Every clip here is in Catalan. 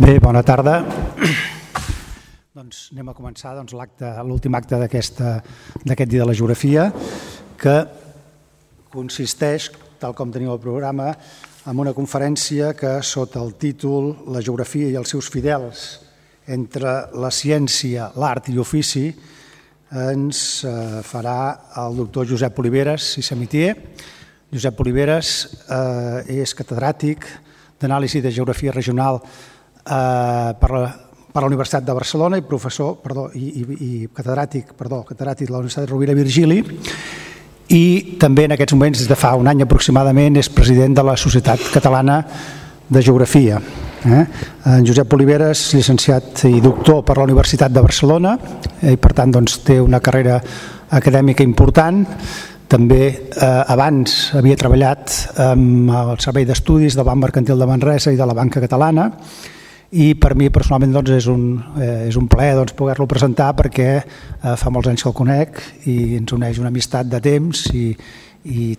Bé, bona tarda. Doncs anem a començar l'últim acte d'aquest dia de la geografia, que consisteix, tal com teniu el programa, en una conferència que, sota el títol La geografia i els seus fidels entre la ciència, l'art i l'ofici, ens farà el doctor Josep Oliveres i Samitier. Josep Oliveres és catedràtic d'anàlisi de geografia regional per la Universitat de Barcelona i catedràtic de la Universitat Rovira i Virgili, i també en aquests moments, des de fa un any aproximadament, és president de la Societat Catalana de Geografia. En Josep Oliveres, llicenciat i doctor per la Universitat de Barcelona, i per tant té una carrera acadèmica important. També abans havia treballat amb el Servei d'Estudis del Banc Mercantil de Manresa i de la Banca Catalana, i per mi personalment és un plaer poder-lo presentar, perquè fa molts anys que el conec i ens uneix una amistat de temps i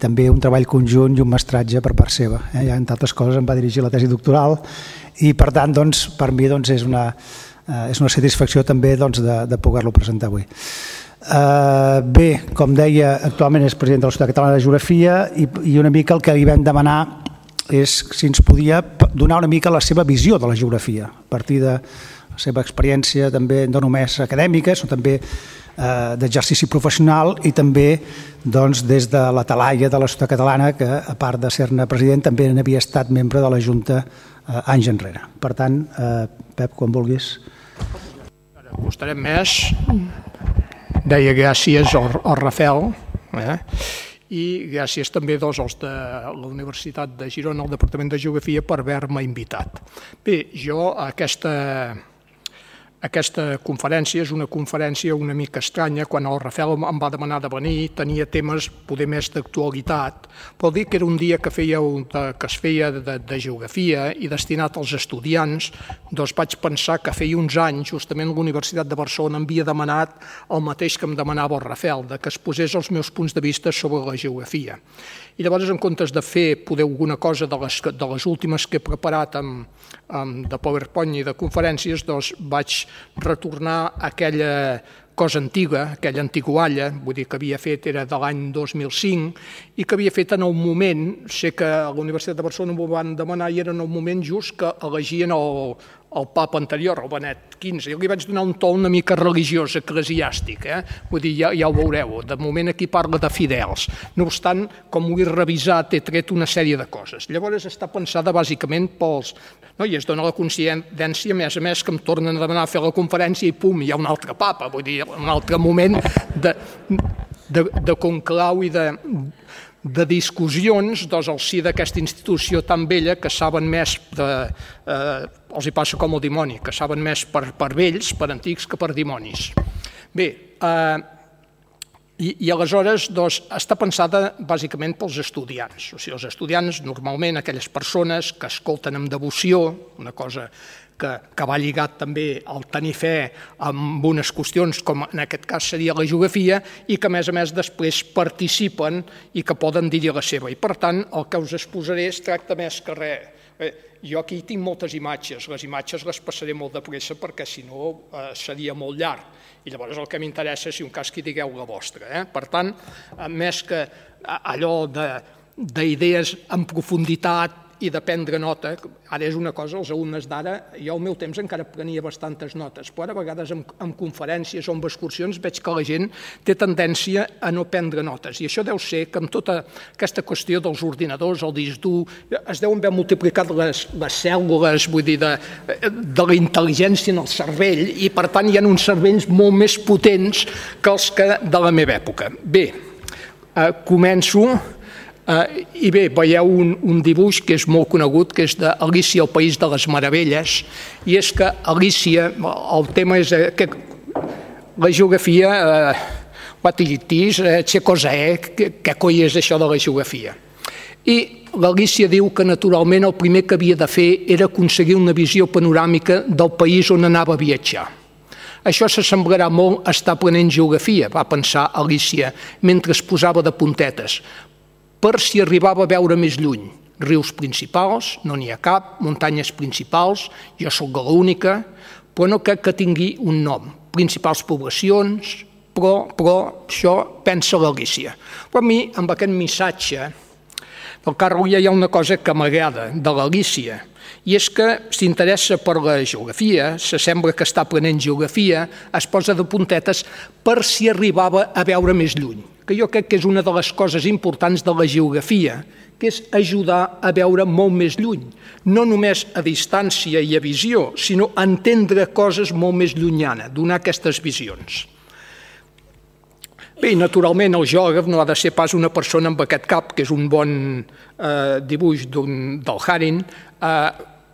també un treball conjunt i un mestratge per part seva. Entre altres coses em va dirigir la tesi doctoral i per tant per mi és una satisfacció també de poder-lo presentar avui. Bé, com deia, actualment és president de la Societat Catalana de Geografia i una mica el que li vam demanar és si ens podia donar una mica la seva visió de la geografia, a partir de la seva experiència també no només acadèmica, sinó també d'exercici professional, i també des de la talaia de la Societat Catalana, que a part de ser-ne president també n'havia estat membre de la Junta anys enrere. Per tant, Pep, quan vulguis. Costarem més. Deia gràcies al Rafel, i gràcies també als de la Universitat de Girona, al Departament de Geografia, per haver-me invitat. Bé, jo aquesta conferència és una conferència una mica estranya. Quan el Rafel em va demanar de venir, tenia temes poder més d'actualitat, però dir que era un dia que es feia de geografia i destinat als estudiants, vaig pensar que feia uns anys, justament la Universitat de Barcelona m'havia demanat el mateix que em demanava el Rafel, que es posés els meus punts de vista sobre la geografia. I llavors, en comptes de fer alguna cosa de les últimes que he preparat de PowerPoint i de conferències, vaig retornar a aquella cosa antiga, aquella antigualla, vull dir que havia fet, era de l'any 2005, i que havia fet en el moment, sé que a la Universitat de Barcelona m'ho van demanar, i era en el moment just que elegien el papa anterior, el Benet XV. Jo li vaig donar un to una mica religiós, eclesiàstic, vull dir, ja ho veureu, de moment aquí parla de fidels. No obstant, com ho he revisat, he tret una sèrie de coses. Llavors està pensada bàsicament pels... I es dona la coincidència, a més, que em tornen a demanar a fer la conferència i pum, hi ha un altre papa, vull dir, un altre moment de conclau i de discussions al si d'aquesta institució tan vella, que saben més, els hi passa com el dimoni, que saben més per vells, per antics, que per dimonis. Bé, i aleshores està pensada bàsicament pels estudiants. O sigui, els estudiants, normalment aquelles persones que escolten amb devoció, una cosa que va lligat també al tenir fe amb unes qüestions com en aquest cas seria la geografia, i que a més després participen i que poden dir-hi la seva. I per tant, el que us exposaré es tracta més que res. Jo aquí tinc moltes imatges, les imatges les passaré molt de pressa perquè si no seria molt llarg, i llavors el que m'interessa és si un cas que digueu la vostra. Per tant, més que allò d'idees en profunditat i de prendre nota, ara és una cosa, els alumnes d'ara, jo al meu temps encara prenia bastantes notes, però ara a vegades en conferències o en excursions veig que la gent té tendència a no prendre notes, i això deu ser que amb tota aquesta qüestió dels ordinadors, el disc dur, es deuen haver multiplicat les cèl·lules, vull dir, de la intel·ligència en el cervell, i per tant hi ha uns cervells molt més potents que els que de la meva època. Bé, començo. I bé, veieu un dibuix que és molt conegut, que és d'Alícia al País de les Meravelles, i és que Alícia, el tema és que la geografia, what it is, che cosa è, què coi és això de la geografia. I l'Alícia diu que naturalment el primer que havia de fer era aconseguir una visió panoràmica del país on anava a viatjar. Això s'assemblarà molt a estar aprenent geografia, va pensar Alícia, mentre es posava de puntetes, per si arribava a veure més lluny. rius principals, no n'hi ha cap, muntanyes principals, jo sóc l'única, però no crec que tingui un nom. Principals poblacions, però això pensa l'Alícia. Però a mi, amb aquest missatge, del Carlo hi ha una cosa que m'agrada de l'Alícia, i és que s'interessa per la geografia, se sembla que està aprenent geografia, es posa de puntetes per si arribava a veure més lluny, que jo crec que és una de les coses importants de la geografia, que és ajudar a veure molt més lluny, no només a distància i a visió, sinó a entendre coses molt més llunyanes, donar aquestes visions. Bé, i naturalment el geògraf no ha de ser pas una persona amb aquest cap, que és un bon dibuix del Haring,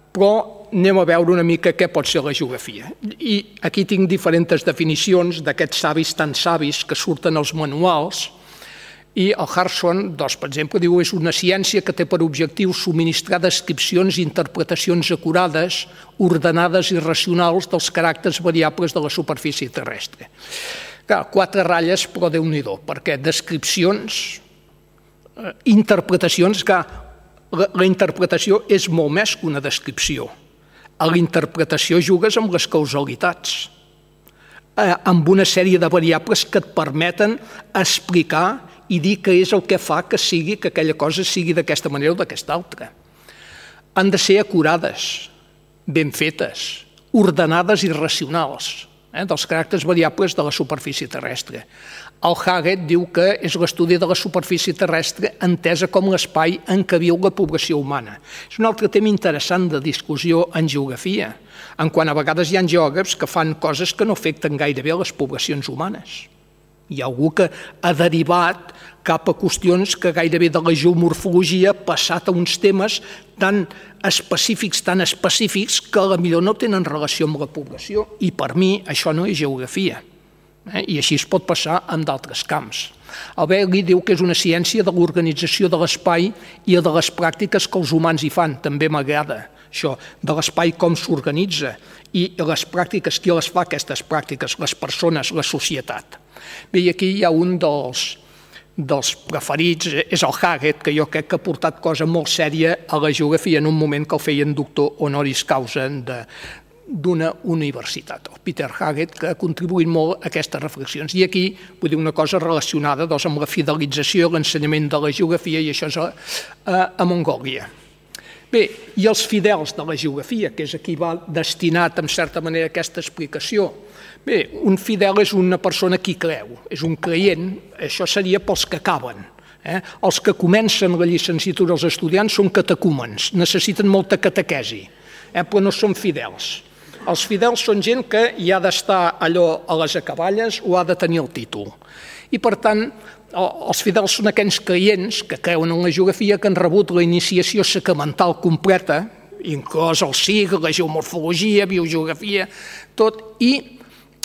però anem a veure una mica què pot ser la geografia. I aquí tinc diferents definicions d'aquests savis tan savis que surten als manuals, i el Harson, per exemple, diu que és una ciència que té per objectiu subministrar descripcions i interpretacions acurades, ordenades i racionals dels caràcters variables de la superfície terrestre. Clar, 4 ratlles, però Déu-n'hi-do, perquè descripcions, interpretacions, clar, la interpretació és molt més que una descripció. A la interpretació jugues amb les causalitats, amb una sèrie de variables que et permeten explicar i dir què és el que fa que aquella cosa sigui d'aquesta manera o d'aquesta altra. Han de ser acurades, ben fetes, ordenades i racionals, dels caràcters variables de la superfície terrestre. El Haggett diu que és l'estudi de la superfície terrestre entesa com l'espai en què viu la població humana. És un altre tema interessant de discussió en geografia, en quant a vegades hi ha geògrafs que fan coses que no afecten gairebé les poblacions humanes. Hi ha algú que ha derivat cap a qüestions que gairebé de la geomorfologia ha passat a uns temes tan específics que potser no tenen relació amb la població, i per mi això no és geografia. I així es pot passar en d'altres camps. El Bailey diu que és una ciència de l'organització de l'espai i de les pràctiques que els humans hi fan. També m'agrada això, de l'espai com s'organitza i les pràctiques, qui les fa aquestes pràctiques, les persones, la societat. Bé, i aquí hi ha un dels preferits, és el Haggett, que jo crec que ha portat cosa molt sèria a la geografia en un moment que el feien doctor honoris causa d'una universitat, el Peter Haggett, que ha contribuït molt a aquestes reflexions. I aquí vull dir una cosa relacionada amb la fidelització i l'ensenyament de la geografia, i això és a Mongòlia. Bé, i els fidels de la geografia, que és a qui va destinat, en certa manera, aquesta explicació. Bé, un fidel és una persona que hi creu, és un creient, això seria pels que acaben. Els que comencen la llicenciatura, els estudiants, són catecúmens, necessiten molta catequesi, però no són fidels. Els fidels són gent que hi ha d'estar allò a les acaballes o ha de tenir el títol. I, per tant, els fidels són aquells creients que creuen en la geografia, que han rebut la iniciació sacramental completa, inclòs el SIG, la geomorfologia, biogeografia, tot, i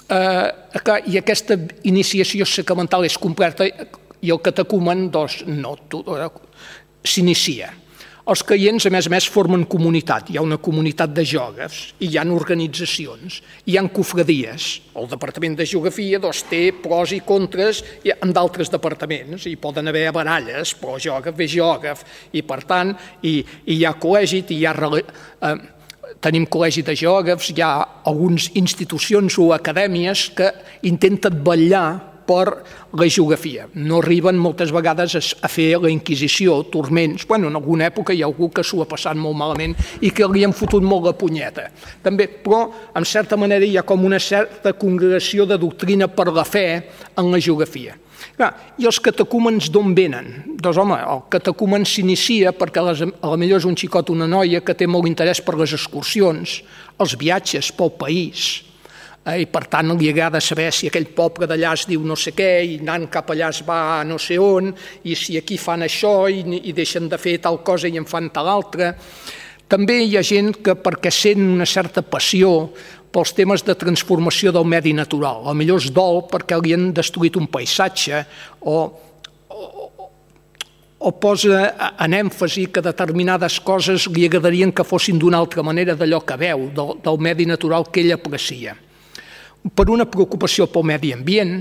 aquesta iniciació sacramental és completa i el catecúmen s'inicia. Els creients, a més, formen comunitat. Hi ha una comunitat de geògrafs, i hi ha organitzacions, hi ha cofradies. El Departament de Geografia té pros i contres en d'altres departaments. Hi poden haver baralles, però geògraf és geògraf, i per tant hi ha col·legi, tenim col·legi de geògrafs, hi ha algunes institucions o acadèmies que intenten vetllar per la geografia. No arriben moltes vegades a fer la Inquisició, turments. En alguna època hi ha algú que s'ho ha passat molt malament i que li han fotut molt la punyeta. També, però, en certa manera, hi ha com una certa congregació de doctrina per la fe en la geografia. I els catecúmens d'on venen? Doncs, home, el catecumen s'inicia perquè potser és un xicot o una noia que té molt interès per les excursions, els viatges pel país, i per tant li agrada saber si aquell poble d'allà es diu no sé què i anant cap allà es va a no sé on, i si aquí fan això i deixen de fer tal cosa i en fan tal altra. També hi ha gent que, perquè sent una certa passió pels temes de transformació del medi natural, potser es dol perquè li han destruït un paisatge o posa en èmfasi que determinades coses li agradarien que fossin d'una altra manera d'allò que veu, del medi natural que ell aprecia. Per una preocupació pel medi ambient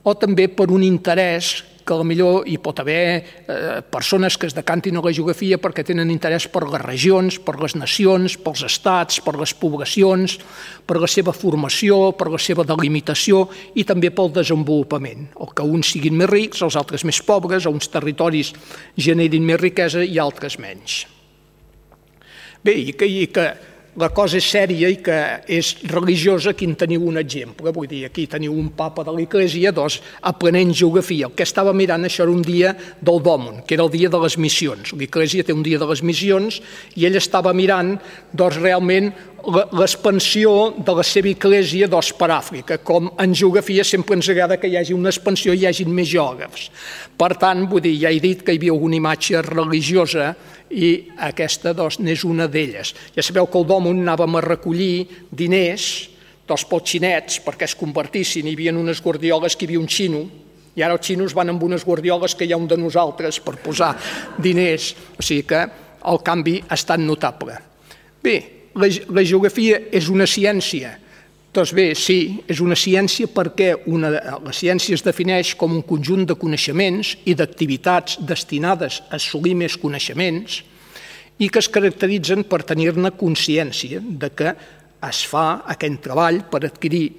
o també per un interès que que potser hi pot haver persones que es decantin a la geografia perquè tenen interès per les regions, per les nacions, pels estats, per les poblacions, per la seva formació, per la seva delimitació i també pel desenvolupament. O que uns siguin més rics, els altres més pobres, o uns territoris generin més riquesa i altres menys. Bé, i que la cosa és sèria i que és religiosa, aquí en teniu un exemple. Vull dir, aquí teniu un papa de l'Església, aprenent geografia. El que estava mirant, això era un dia del Dòmun, que era el dia de les missions. L'Església té un dia de les missions i ell estava mirant, realment, l'expansió de la seva Església per Àfrica. Com en geografia sempre ens agrada que hi hagi una expansió i hi hagi més geògrafs. Per tant, vull dir, ja he dit que hi havia alguna imatge religiosa i aquesta n'és una d'elles. Ja sabeu que al Dòmun anàvem a recollir diners pels xinets perquè es convertissin. Hi havia unes guardioles que hi havia un xino i ara els xinos van amb unes guardioles que hi ha un de nosaltres per posar diners. O sigui que el canvi ha estat notable. Bé, la geografia és una ciència. Doncs bé, sí, és una ciència perquè la ciència es defineix com un conjunt de coneixements i d'activitats destinades a assolir més coneixements i que es caracteritzen per tenir-ne consciència de que es fa aquest treball per adquirir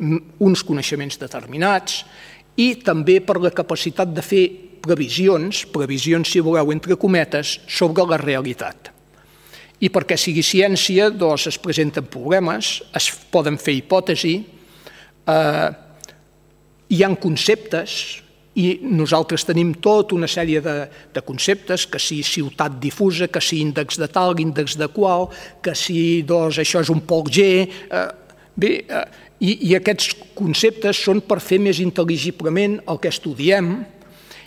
uns coneixements determinats i també per la capacitat de fer previsions, si voleu entre cometes, sobre la realitat. I perquè sigui ciència, es presenten problemes, es poden fer hipòtesis, hi ha conceptes, i nosaltres tenim tota una sèrie de conceptes, que si ciutat difusa, que si índex de tal, índex de qual, que si això és un pol G. Bé, i aquests conceptes són per fer més intel·ligiblement el que estudiem,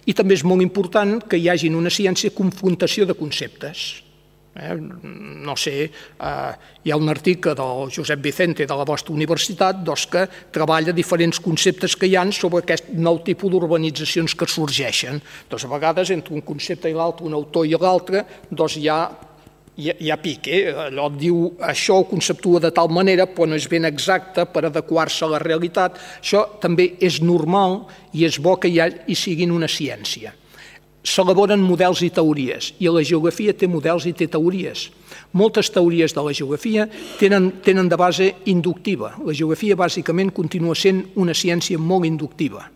i també és molt important que hi hagi en una ciència confrontació de conceptes. No sé, hi ha un article del Josep Vicente de la vostra universitat que treballa diferents conceptes que hi ha sobre aquest nou tipus d'urbanitzacions que sorgeixen. A vegades entre un concepte i l'altre, un autor i l'altre, hi ha pique. Allò diu això ho conceptua de tal manera però no és ben exacte per adequar-se a la realitat. Això també és normal i és bo que hi siguin una ciència. S'elaboren models i teories, i la geografia té models i té teories. Moltes teories de la geografia tenen de base inductiva. La geografia bàsicament continua sent una ciència molt inductiva.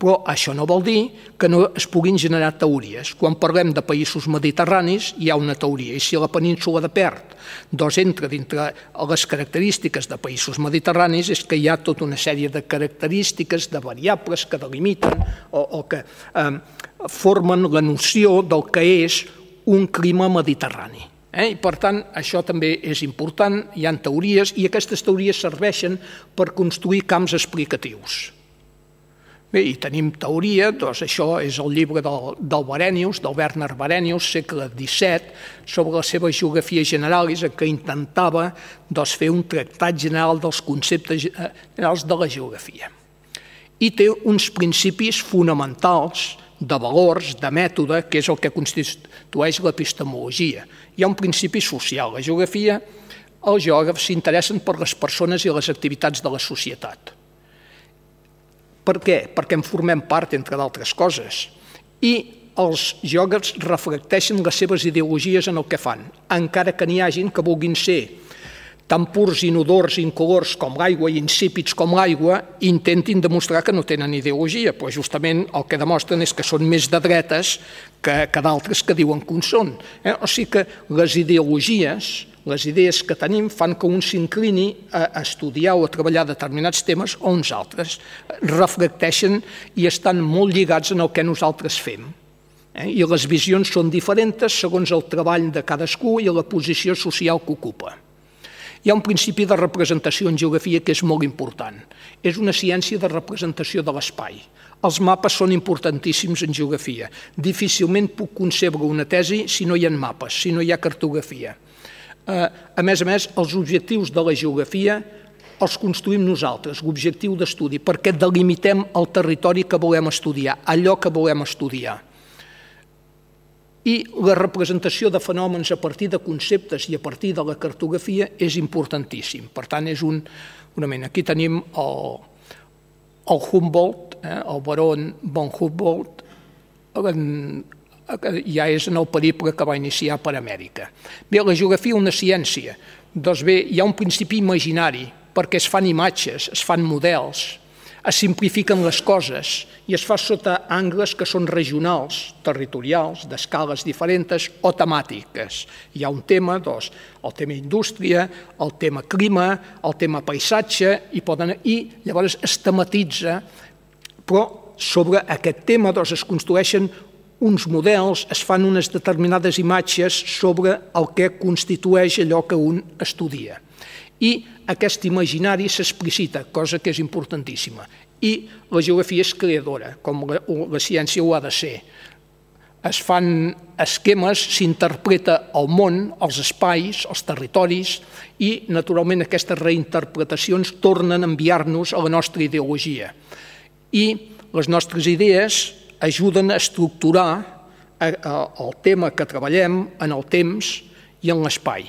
Però això no vol dir que no es puguin generar teories. Quan parlem de països mediterranis hi ha una teoria, i si la península de Perth entra dintre les característiques de països mediterranis és que hi ha tota una sèrie de característiques, de variables que delimiten o que formen la noció del que és un clima mediterrani. I per tant, això també és important, hi ha teories i aquestes teories serveixen per construir camps explicatius. Bé, i tenim teoria, això és el llibre del Barenius, del Werner Barenius, segle XVII, sobre la seva geografia generalis, en què intentava fer un tractat general dels conceptes generals de la geografia. I té uns principis fonamentals de valors, de mètode, que és el que constitueix l'epistemologia. Hi ha un principi social. La geografia, els geògrafs s'interessen per les persones i les activitats de la societat. Per què? Perquè en formem part, entre d'altres coses. I els geògrafs reflecteixen les seves ideologies en el que fan, encara que n'hi hagin que vulguin ser tan purs, inodors, incolors com l'aigua i insípids com l'aigua, intentin demostrar que no tenen ideologia, però justament el que demostren és que són més de dretes que d'altres que diuen que en són. O sigui que les ideologies, les idees que tenim fan que un s'inclini a estudiar o a treballar determinats temes o uns altres. Reflecteixen i estan molt lligats en el que nosaltres fem. I les visions són diferents segons el treball de cadascú i la posició social que ocupa. Hi ha un principi de representació en geografia que és molt important. És una ciència de representació de l'espai. Els mapes són importantíssims en geografia. Difícilment puc concebre una tesi si no hi ha mapes, si no hi ha cartografia. A més, els objectius de la geografia els construïm nosaltres, l'objectiu d'estudi, perquè delimitem el territori que volem estudiar, allò que volem estudiar. I la representació de fenòmens a partir de conceptes i a partir de la cartografia és importantíssim. Per tant, és un mena. Aquí tenim el Humboldt, el baró von Humboldt, ja és en el periple que va iniciar per Amèrica. Bé, la geografia una ciència. Doncs bé, hi ha un principi imaginari, perquè es fan imatges, es fan models, es simplifiquen les coses i es fa sota angles que són regionals, territorials, d'escales diferents o temàtiques. Hi ha un tema, doncs, el tema indústria, el tema clima, el tema paisatge, i llavors es tematitza, però sobre aquest tema doncs, es construeixen uns models, es fan unes determinades imatges sobre el que constitueix allò que un estudia. I aquest imaginari s'explicita, cosa que és importantíssima. I la geografia és creadora, com la ciència ho ha de ser. Es fan esquemes, s'interpreta el món, els espais, els territoris, i, naturalment, aquestes reinterpretacions tornen a enviar-nos a la nostra ideologia. I les nostres idees ajuden a estructurar el tema que treballem en el temps i en l'espai.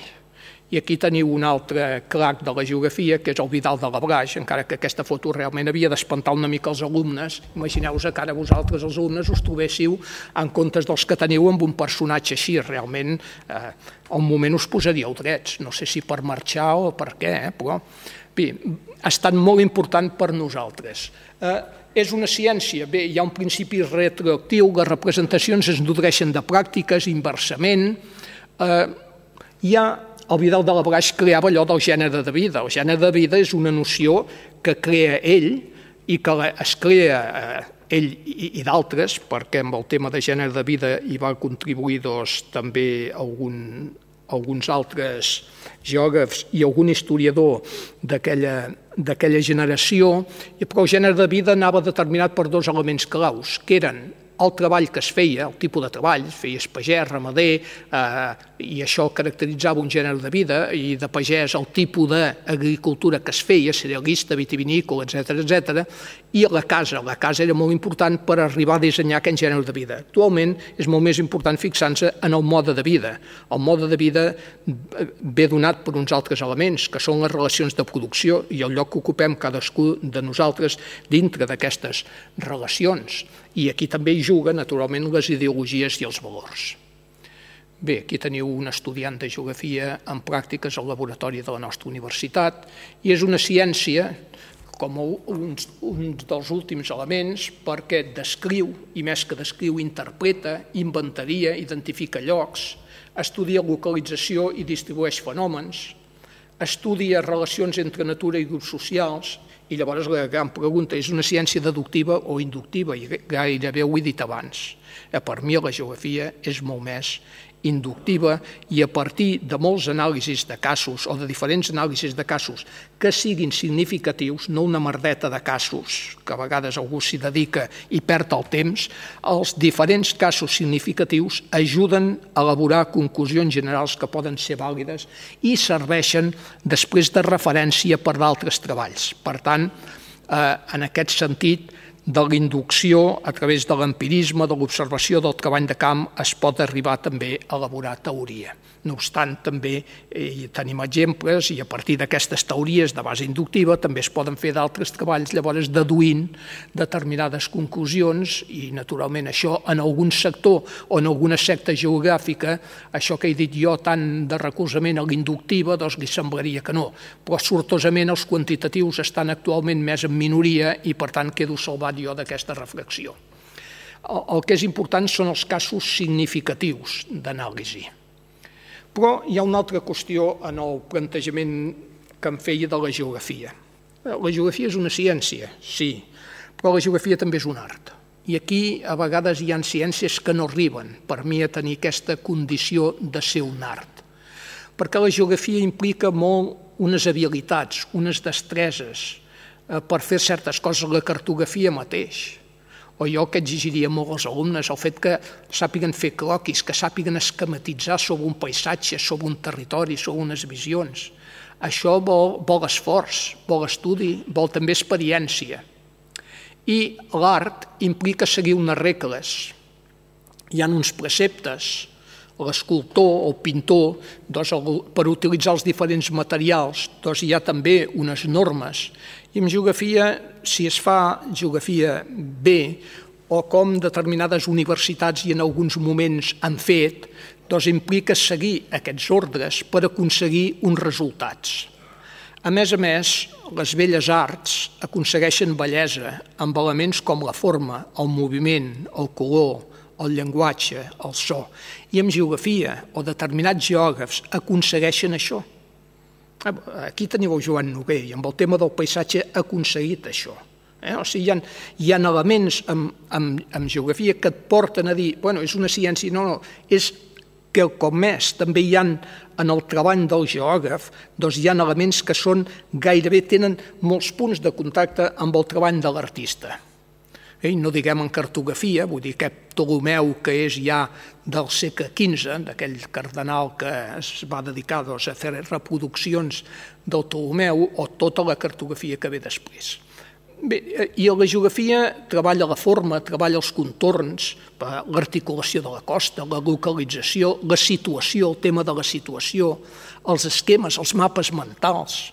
I aquí teniu un altre crac de la geografia, que és el Vidal de Labraix, encara que aquesta foto realment havia d'espantar una mica els alumnes. Imagineu-vos que ara vosaltres, els alumnes, us trobéssiu en comptes dels que teniu amb un personatge així. Realment, al moment us posaríeu drets. No sé si per marxar o per què, però bé, ha estat molt important per nosaltres. És una ciència, bé, hi ha un principi retroactiu, les representacions es nodreixen de pràctiques, inversament. El Vidal de Labraix creava allò del gènere de vida. El gènere de vida és una noció que crea ell i que es crea ell i d'altres, perquè amb el tema de gènere de vida hi va contribuir també alguns altres geògrafs i algun historiador d'aquella generació, però el gènere de vida anava determinat per dos elements claus, que eren el treball que es feia, el tipus de treball, feies pagès, ramader, i això caracteritzava un gènere de vida, i de pagès el tipus d'agricultura que es feia, cerealista, vitivinícola, etc. I la casa era molt important per arribar a dissenyar aquest gènere de vida. Actualment és molt més important fixar-se en el mode de vida. El mode de vida ve donat per uns altres elements, que són les relacions de producció i el lloc que ocupem cadascú de nosaltres dintre d'aquestes relacions. I aquí també hi juguen, naturalment, les ideologies i els valors. Bé, aquí teniu un estudiant de geografia en pràctiques al laboratori de la nostra universitat, i és una ciència com un dels últims elements perquè descriu, i més que descriu, interpreta, inventaria, identifica llocs, estudia localització i distribueix fenòmens, estudia relacions entre natura i grups socials, i llavors la gran pregunta és una ciència deductiva o inductiva, i gairebé ho he dit abans. Per mi la geografia és molt més inductiva i a partir de molts anàlisis de casos o de diferents anàlisis de casos que siguin significatius, no una merdeta de casos que a vegades algú s'hi dedica i perd el temps, els diferents casos significatius ajuden a elaborar conclusions generals que poden ser vàlides i serveixen després de referència per d'altres treballs. Per tant, en aquest sentit, de la inducció a través de l'empirisme, de l'observació del treball de camp, es pot arribar també a elaborar teoria. No obstant, també tenim exemples i a partir d'aquestes teories de base inductiva també es poden fer d'altres treballs, llavors deduint determinades conclusions i, naturalment, això en algun sector o en alguna secta geogràfica, això que he dit jo tant de recolzament a l'inductiva, doncs li semblaria que no. Però sortosament els quantitatius estan actualment més en minoria i, per tant, quedo salvat jo d'aquesta reflexió. El que és important són els casos significatius d'anàlisi. Però hi ha una altra qüestió en el plantejament que em feia de la geografia. La geografia és una ciència, sí, però la geografia també és un art. I aquí a vegades hi ha ciències que no arriben per mi a tenir aquesta condició de ser un art. Perquè la geografia implica molt unes habilitats, unes destreses per fer certes coses, la cartografia mateix. O jo que exigiria molt als alumnes el fet que sàpiguen fer croquis, que sàpiguen esquematitzar sobre un paisatge, sobre un territori, sobre unes visions. Això vol esforç, vol estudi, vol també experiència. I l'art implica seguir unes regles. Hi ha uns preceptes. L'escultor o el pintor, per utilitzar els diferents materials, hi ha també unes normes. I en geografia, si es fa geografia bé o com determinades universitats i en alguns moments han fet, doncs implica seguir aquests ordres per aconseguir uns resultats. A més, les belles arts aconsegueixen bellesa amb elements com la forma, el moviment, el color, el llenguatge, el so. I amb geografia o determinats geògrafs aconsegueixen això. Aquí teniu el Joan Noguer i amb el tema del paisatge ha aconseguit això. O sigui, hi ha elements en geografia que et porten a dir, bueno, és una ciència, no, és que com més també hi ha en el treball del geògraf, doncs hi ha elements que són gairebé tenen molts punts de contacte amb el treball de l'artista. I no diguem en cartografia, vull dir aquest Ptolemeu que és ja del segle XV, d'aquell cardenal que es va dedicar a fer reproduccions del Ptolemeu o tota la cartografia que ve després. Bé, i la geografia treballa la forma, treballa els contorns, l'articulació de la costa, la localització, la situació, el tema de la situació, els esquemes, els mapes mentals.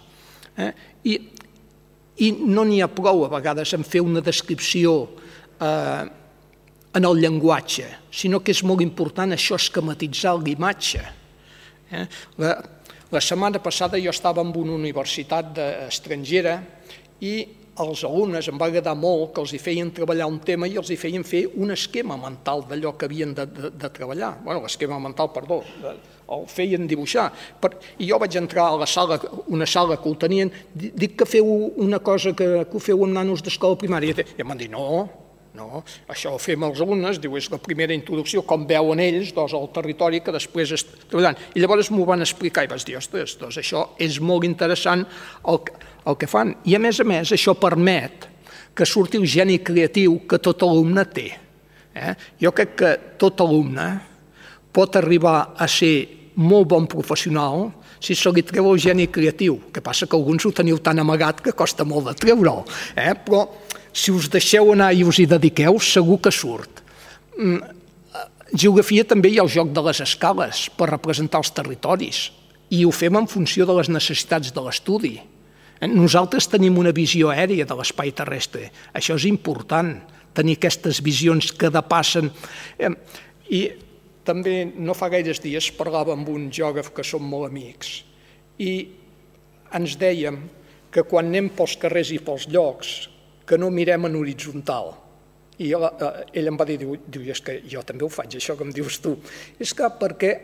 I no n'hi ha prou a vegades en fer una descripció en el llenguatge, sinó que és molt important això esquematitzar l'imatge. La setmana passada jo estava en una universitat estrangera i els alumnes em va agradar molt que els feien treballar un tema i els feien fer un esquema mental d'allò que havien de treballar. Bé, l'esquema mental, perdó, el feien dibuixar. I jo vaig entrar a la sala, una sala que ho tenien, dic que feu una cosa que ho feu amb nanos d'escola primària. I em van dir, no, això ho fem els alumnes, diu, és la primera introducció, com veuen ells, al territori que després treballant. I llavors m'ho van explicar i vaig dir, ostres, doncs això és molt interessant el que fan. I a més, això permet que surti el geni creatiu que tot alumne té. Jo crec que tot alumne pot arribar a ser molt bon professional si se li treu el geni creatiu. El que passa que alguns ho teniu tan amagat que costa molt de treure'l. Però si us deixeu anar i us hi dediqueu, segur que surt. Geografia també hi ha el joc de les escales per representar els territoris i ho fem en funció de les necessitats de l'estudi. Nosaltres tenim una visió aèria de l'espai terrestre. Això és important, tenir aquestes visions que depassen. I també no fa gaires dies parlava amb un geògraf que som molt amics i ens dèiem que quan anem pels carrers i pels llocs que no mirem en horitzontal. I ell em va dir, diu, és que jo també ho faig, això que em dius tu. És que perquè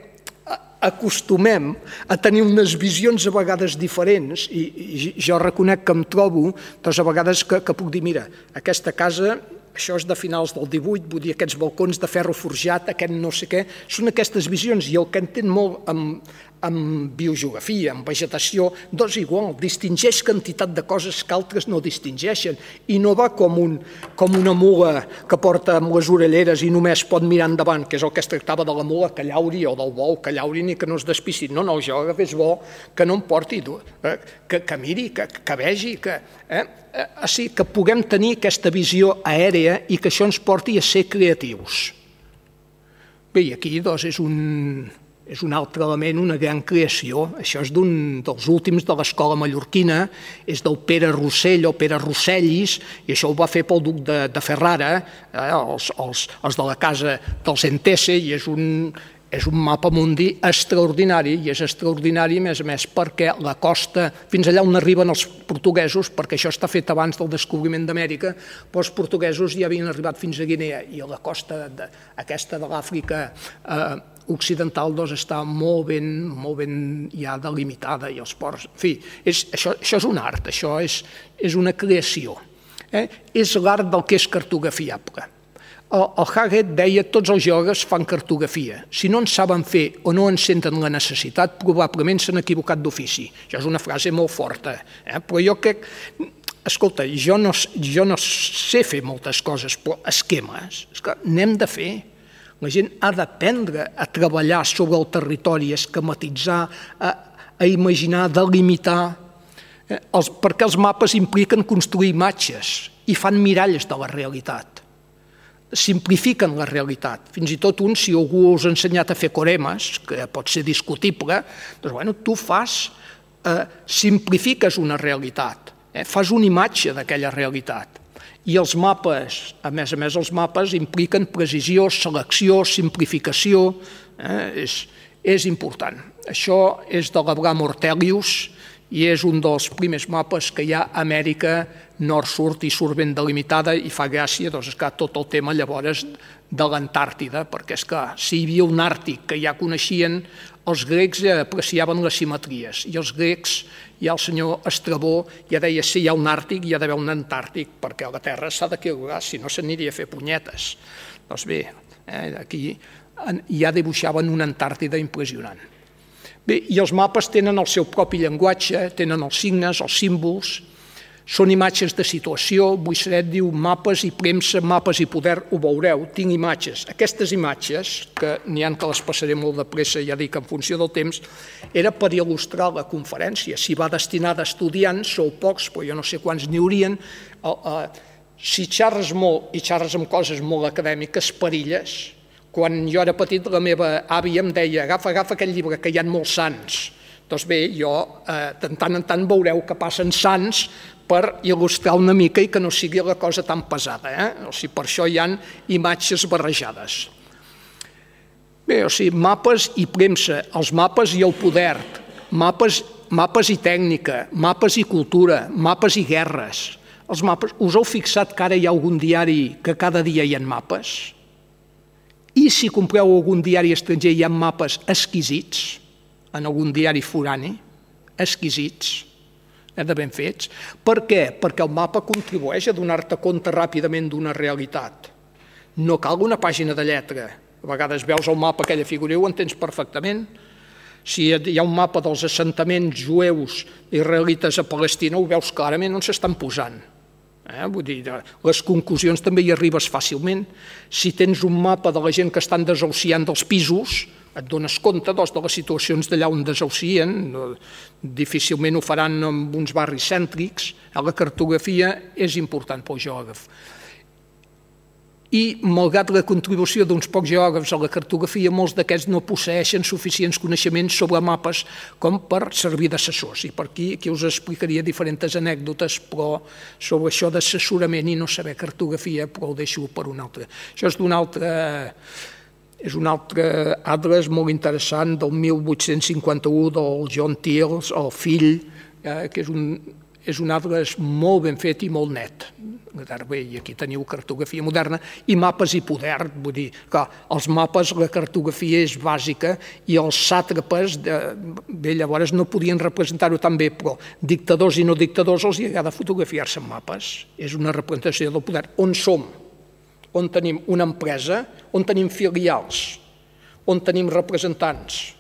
acostumem a tenir unes visions a vegades diferents i jo reconec que em trobo doncs a vegades que puc dir, mira, aquesta casa, això és de finals del 18, vull dir, aquests balcons de ferro forjat, aquest no sé què, són aquestes visions i el que entén molt amb biogeografia, amb vegetació, doncs igual, distingeix quantitat de coses que altres no distingeixen i no va com una mula que porta amb les orelleres i només pot mirar endavant, que és el que es tractava de la mula que llauri o del bou que llauri ni que no es despici. No, el geògraf és bo que no em porti, que miri, que vegi, que puguem tenir aquesta visió aèria i que això ens porti a ser creatius. Bé, i aquí doncs és un altre element, una gran creació. Això és d'un dels últims de l'escola mallorquina, és del Pere Rossell o Pere Rossellis, i això ho va fer pel duc de Ferrara, els de la casa dels Entese, i és un mapa mundi extraordinari, i és extraordinari, a més, perquè la costa, fins allà on arriben els portuguesos, perquè això està fet abans del descobriment d'Amèrica, però els portuguesos ja havien arribat fins a Guinea, i a la costa aquesta de l'Àfrica occidental està molt ben ja delimitada, i els ports, en fi, això és un art, això és una creació, és l'art del que és cartografiable. El Haggett deia que tots els geògrafs fan cartografia. Si no en saben fer o no en senten la necessitat, probablement s'han equivocat d'ofici. Això és una frase molt forta, però jo crec... Escolta, jo no sé fer moltes coses, però esquemes, és que n'hem de fer. La gent ha d'aprendre a treballar sobre el territori, a esquematitzar, a imaginar, a delimitar, perquè els mapes impliquen construir imatges i fan miralles de la realitat. Simplifiquen la realitat. Fins i tot si algú us ha ensenyat a fer coremes, que pot ser discutible, doncs tu simplifiques una realitat, fas una imatge d'aquella realitat. I els mapes, a més, els mapes impliquen precisió, selecció, simplificació, és important. Això és de l'Abraham Ortelius i és un dels primers mapes que hi ha a Amèrica nord-sud i surt ben delimitada i fa gràcia tot el tema llavors de l'Antàrtida, perquè és que si hi havia un Àrtic que ja coneixien, els grecs apreciaven les simetries i els grecs, ja el senyor Estrabó ja deia si hi ha un Àrtic hi ha d'haver un Antàrtic perquè la Terra s'ha d'equilibrar, si no s'aniria a fer punyetes. Doncs bé, aquí ja dibuixaven una Antàrtida impressionant. Bé, i els mapes tenen el seu propi llenguatge, tenen els signes, els símbols, són imatges de situació. Buisseret diu mapes i premsa, mapes i poder, ho veureu, tinc imatges. Aquestes imatges, que n'hi ha que les passaré molt de pressa, ja dic, en funció del temps, era per il·lustrar la conferència. Si va destinada a estudiants, sou pocs, però jo no sé quants n'hi haurien. Si xerres molt i xerres amb coses molt acadèmiques, perilles. Quan jo era petit, la meva àvia em deia agafa aquell llibre, que hi ha molts sants. Doncs bé, jo de tant en tant veureu que passen sants per il·lustrar una mica i que no sigui la cosa tan pesada. O sigui, per això hi ha imatges barrejades. Bé, o sigui, mapes i premsa, els mapes i el poder, mapes i tècnica, mapes i cultura, mapes i guerres. Els mapes, us heu fixat que ara hi ha algun diari que cada dia hi ha mapes? I si compreu algun diari estranger hi ha mapes exquisits, en algun diari forani, exquisits, de ben fets. Per què? Perquè el mapa contribueix a donar-te compte ràpidament d'una realitat. No cal una pàgina de lletra. A vegades veus el mapa, aquella figura, i ho entens perfectament. Si hi ha un mapa dels assentaments jueus israelites a Palestina, ho veus clarament on s'estan posant. Vull dir, les conclusions també hi arribes fàcilment. Si tens un mapa de la gent que estan desahuciant dels pisos, et dones compte de les situacions d'allà on desahucien, difícilment ho faran en uns barris cèntrics. La cartografia és important pel geògraf. I, malgrat la contribució d'uns pocs geògrafs a la cartografia, molts d'aquests no posseeixen suficients coneixements sobre mapes com per servir d'assessors. I per aquí us explicaria diferents anècdotes, però sobre això d'assessorament i no saber cartografia, però ho deixo per un altre. Això és un altre atles molt interessant del 1851 del John Teals, el fill, que és un atles molt ben fet i molt net. Bé, i aquí teniu cartografia moderna i mapes i poder, vull dir que els mapes, la cartografia és bàsica i els sàtrapes, bé, llavors no podien representar-ho tan bé, però dictadors i no dictadors els agrada fotografiar-se en mapes. És una representació del poder. On som? On tenim una empresa? On tenim filials? On tenim representants?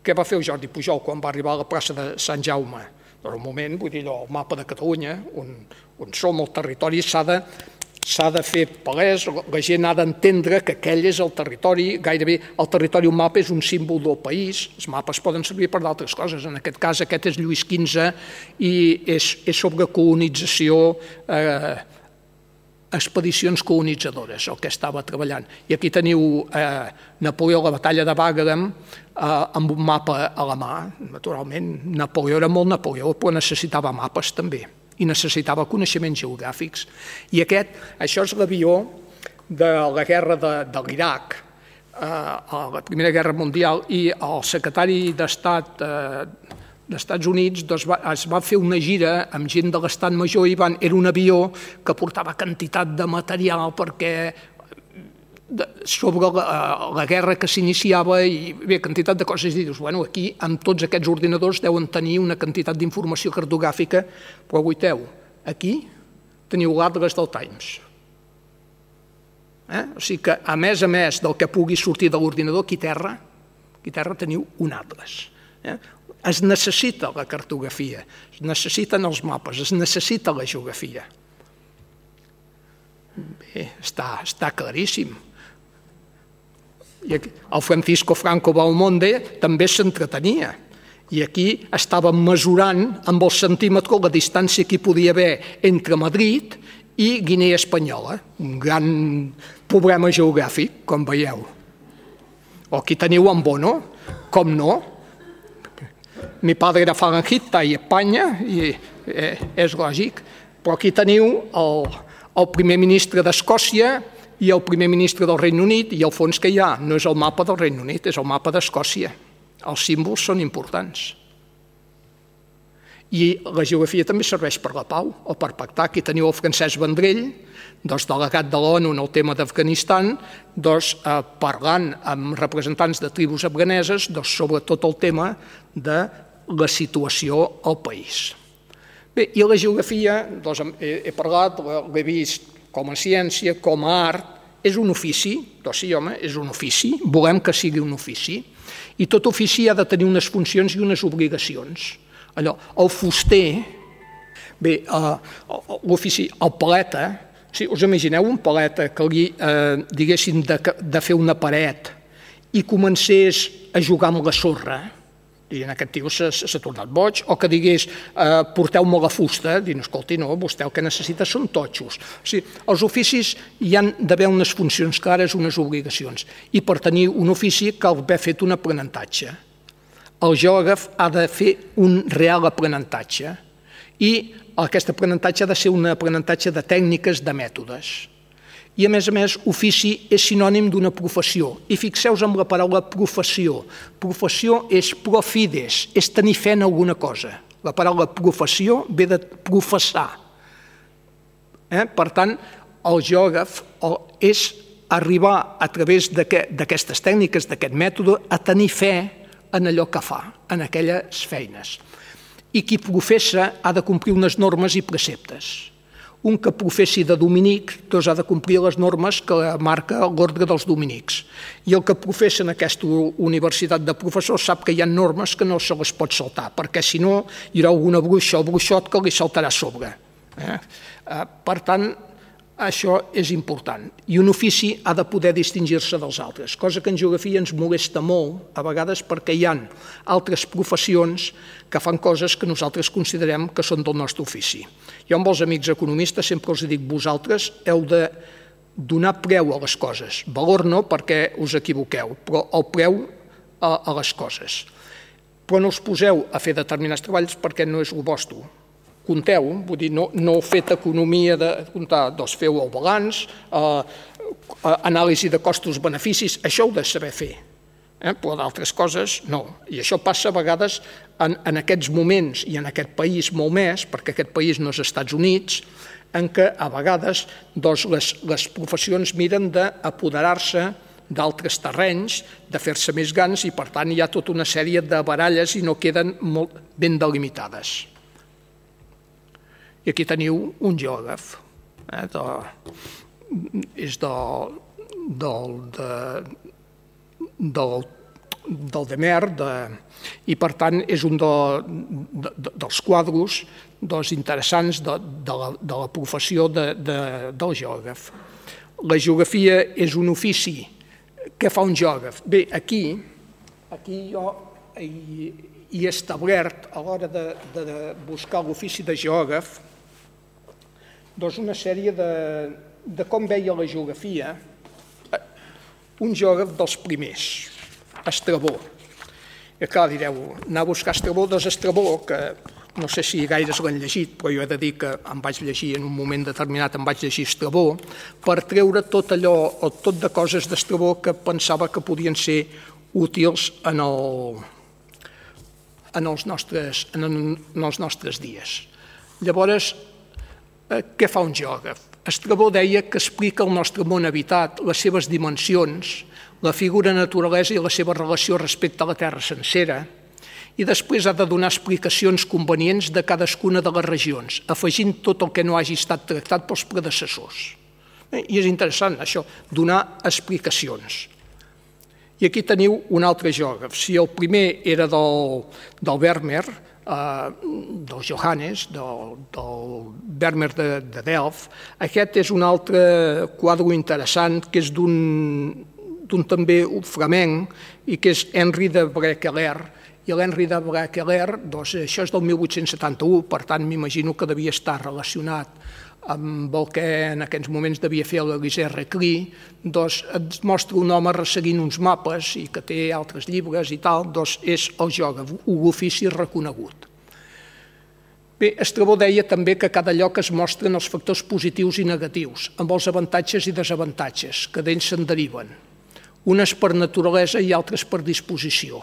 Què va fer el Jordi Pujol quan va arribar a la plaça de Sant Jaume? En un moment, vull dir, el mapa de Catalunya, on som, el territori s'ha de fer palès, la gent ha d'entendre que aquell és el territori, gairebé el territori, un mapa és un símbol del país, els mapes poden servir per d'altres coses, en aquest cas aquest és Lluís XV i és sobre colonització, expedicions colonitzadores, el que estava treballant. I aquí teniu Napoleó, la batalla de Wagram, amb un mapa a la mà. Naturalment, Napoleó era molt Napoleó, però necessitava mapes també, i necessitava coneixements geogràfics. I això és l'avió de la guerra de l'Iraq, a la Primera Guerra Mundial, i el secretari d'Estat d'Estats Units es va fer una gira amb gent de l'Estat Major i era un avió que portava quantitat de material sobre la guerra que s'iniciava i bé, quantitat de coses. I dius, bueno, aquí amb tots aquests ordinadors deuen tenir una quantitat d'informació cartogràfica, però aguaiteu, aquí teniu l'atles del Times. O sigui que, a més del que pugui sortir de l'ordinador, aquí terra teniu un atles. Es necessita la cartografia, es necessiten els mapes, es necessita la geografia. Bé, està claríssim. I el Francisco Franco Belmonte també s'entretenia. I aquí estava mesurant amb el centímetre la distància que hi podia haver entre Madrid i Guinea Espanyola. Un gran problema geogràfic, com veieu. O aquí teniu en Bono, com no? Mi padre era falangista i Espanya, i és lògic, però aquí teniu el primer ministre d'Escòcia i el primer ministre del Regne Unit, i el fons que hi ha no és el mapa del Regne Unit, és el mapa d'Escòcia. Els símbols són importants. I la geografia també serveix per la pau o per pactar. Aquí teniu el Francesc Vendrell, delegat de l'ONU en el tema d'Afganistan, parlant amb representants de tribus afganeses sobre tot el tema de la situació al país. Bé, i la geografia, he parlat, l'he vist com a ciència, com a art, és un ofici, sí home, és un ofici, volem que sigui un ofici, i tot ofici ha de tenir unes funcions i unes obligacions. Allò, el fuster, bé, l'ofici, el paleta, us imagineu un paleta que li diguessin de fer una paret i comencés a jugar amb la sorra, i en aquest tio s'ha tornat boig, o que digués porteu-me la fusta, dient, escolti, no, vostè el que necessita són totxos. O sigui, els oficis hi han d'haver unes funcions clares, unes obligacions, i per tenir un ofici cal haver fet un aprenentatge. El geògraf ha de fer un real aprenentatge, i aquest aprenentatge ha de ser un aprenentatge de tècniques, de mètodes. I, a més, ofici és sinònim d'una professió. I fixeu-vos en la paraula professió. Professió és profides, és tenir fe en alguna cosa. La paraula professió ve de professar. Per tant, el geògraf és arribar a través d'aquestes tècniques, d'aquest mètode, a tenir fe en allò que fa, en aquelles feines. I qui professa ha de complir unes normes i preceptes. Un que professi de dominic ha de complir les normes que marca l'ordre dels dominics. I el que professa en aquesta universitat de professors sap que hi ha normes que no se les pot saltar, perquè si no hi haurà alguna bruixa o bruixot que li saltarà a sobre. Per tant, això és important. I un ofici ha de poder distingir-se dels altres, cosa que en geografia ens molesta molt, a vegades perquè hi ha altres professions que fan coses que nosaltres considerem que són del nostre ofici. Jo amb els amics economistes sempre els dic, vosaltres heu de donar preu a les coses. Valor no, perquè us equivoqueu, però el preu a les coses. Però no us poseu a fer determinats treballs perquè no és el vostre. Compteu, vull dir, no heu fet economia de comptar, doncs feu el balanç, anàlisi de costos-beneficis, això heu de saber fer, però d'altres coses no. I això passa a vegades en aquests moments i en aquest país molt més, perquè aquest país no és Estats Units, en què a vegades les professions miren d'apoderar-se d'altres terrenys, de fer-se més grans i per tant hi ha tota una sèrie de baralles i no queden molt ben delimitades. I aquí teniu un geògraf, és del Demer, i per tant és un dels quadros interessants de la professió del geògraf. La geografia és un ofici. Què fa un geògraf? Bé, aquí jo he establert, a l'hora de buscar l'ofici de geògraf, una sèrie de com veia la geografia un geògraf dels primers, Estrabó. I clar, direu, anar a buscar Estrabó, Estrabó, que no sé si gaires l'han llegit, però jo he de dir que em vaig llegir en un moment determinat, em vaig llegir Estrabó, per treure tot allò, o tot de coses d'Estrabó que pensava que podien ser útils en els nostres dies. Llavors, què fa un geògraf? Estrabó deia que explica el nostre món habitat, les seves dimensions, la figura naturalesa i la seva relació respecte a la Terra sencera, i després ha de donar explicacions convenients de cadascuna de les regions, afegint tot el que no hagi estat tractat pels predecessors. I és interessant, això, donar explicacions. I aquí teniu un altre geògraf. Si el primer era del Vermeer, del Johannes, del Vermeer de Delft, aquest és un altre quadre interessant que és d'un també flamenc i que és Henri de Brekeler. I l'Henri de Brekeler, això és del 1871, per tant m'imagino que devia estar relacionat amb el que en aquells moments devia fer l'Elisée Reclus, ens mostra un home resseguint uns mapes i que té altres llibres i tal, és el geògraf, un ofici reconegut. Bé, Estrabó deia també que a cada lloc es mostren els factors positius i negatius, amb els avantatges i desavantatges que d'ells se'n deriven, unes per naturalesa i altres per disposició.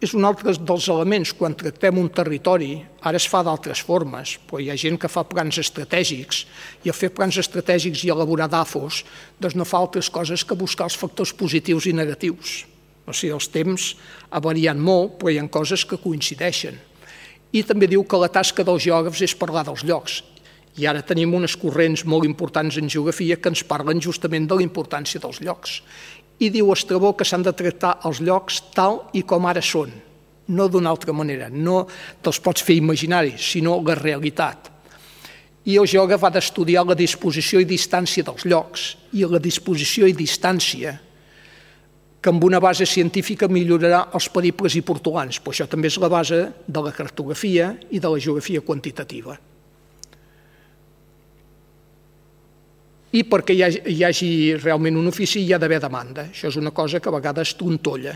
És un altre dels elements, quan tractem un territori, ara es fa d'altres formes, però hi ha gent que fa plans estratègics, i a fer plans estratègics i elaborar DAFOs, doncs no fa altres coses que buscar els factors positius i negatius. O sigui, els temps ha variat molt, però hi ha coses que coincideixen. I també diu que la tasca dels geògrafs és parlar dels llocs. I ara tenim unes corrents molt importants en geografia que ens parlen justament de la importància dels llocs. I diu Estrabó que s'han de tractar els llocs tal i com ara són, no d'una altra manera, no te'ls pots fer imaginaris, sinó la realitat. I el geògraf ha d'estudiar la disposició i distància dels llocs, i la disposició i distància que amb una base científica millorarà els peribles i portolans, però això també és la base de la cartografia i de la geografia quantitativa. I perquè hi hagi realment un ofici hi ha d'haver demanda. Això és una cosa que a vegades trontolla.